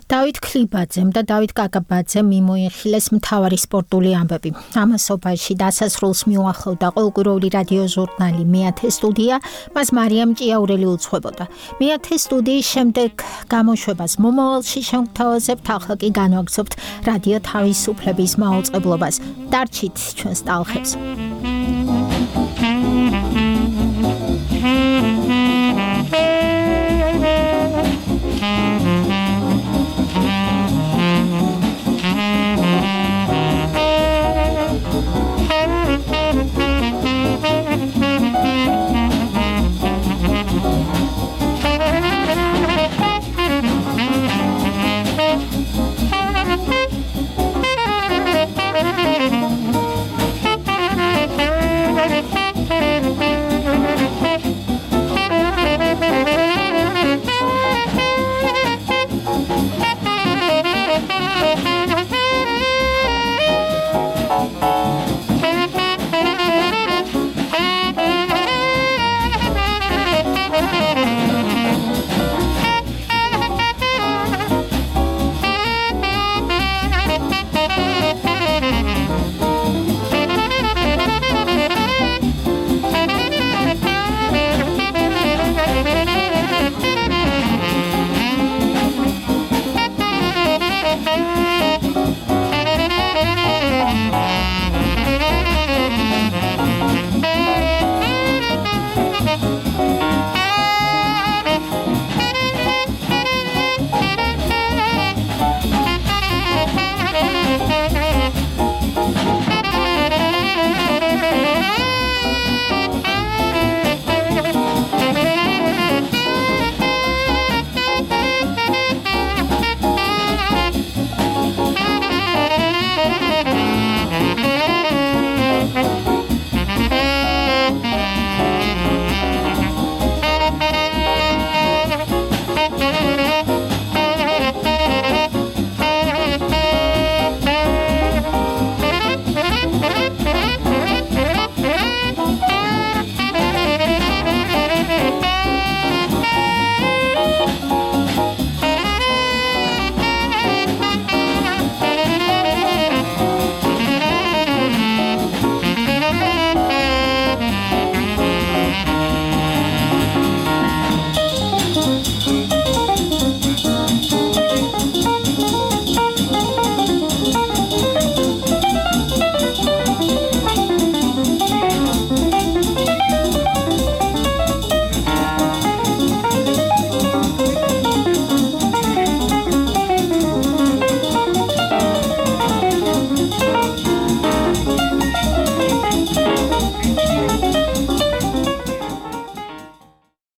დავით ქლიბაძემ და დავით კაკაბაძემ მიმოიხილეს მთავარი სპორტული ამბები. ამასობაში დასასრულს მიუახლოვდა ყოველკვირეული რადიო ჟურნალი მეათე სტუდია, მას მარიამ ჭიაურელი უძღვებოდა. მეათე სტუდიის შემდეგ გამოშვებას მომავალში შევთავაზებთ, ახლა კი განვაგრძობთ რადიო თავისუფლების მაუწყებლობას. დარჩით ჩვენს ტალხებს.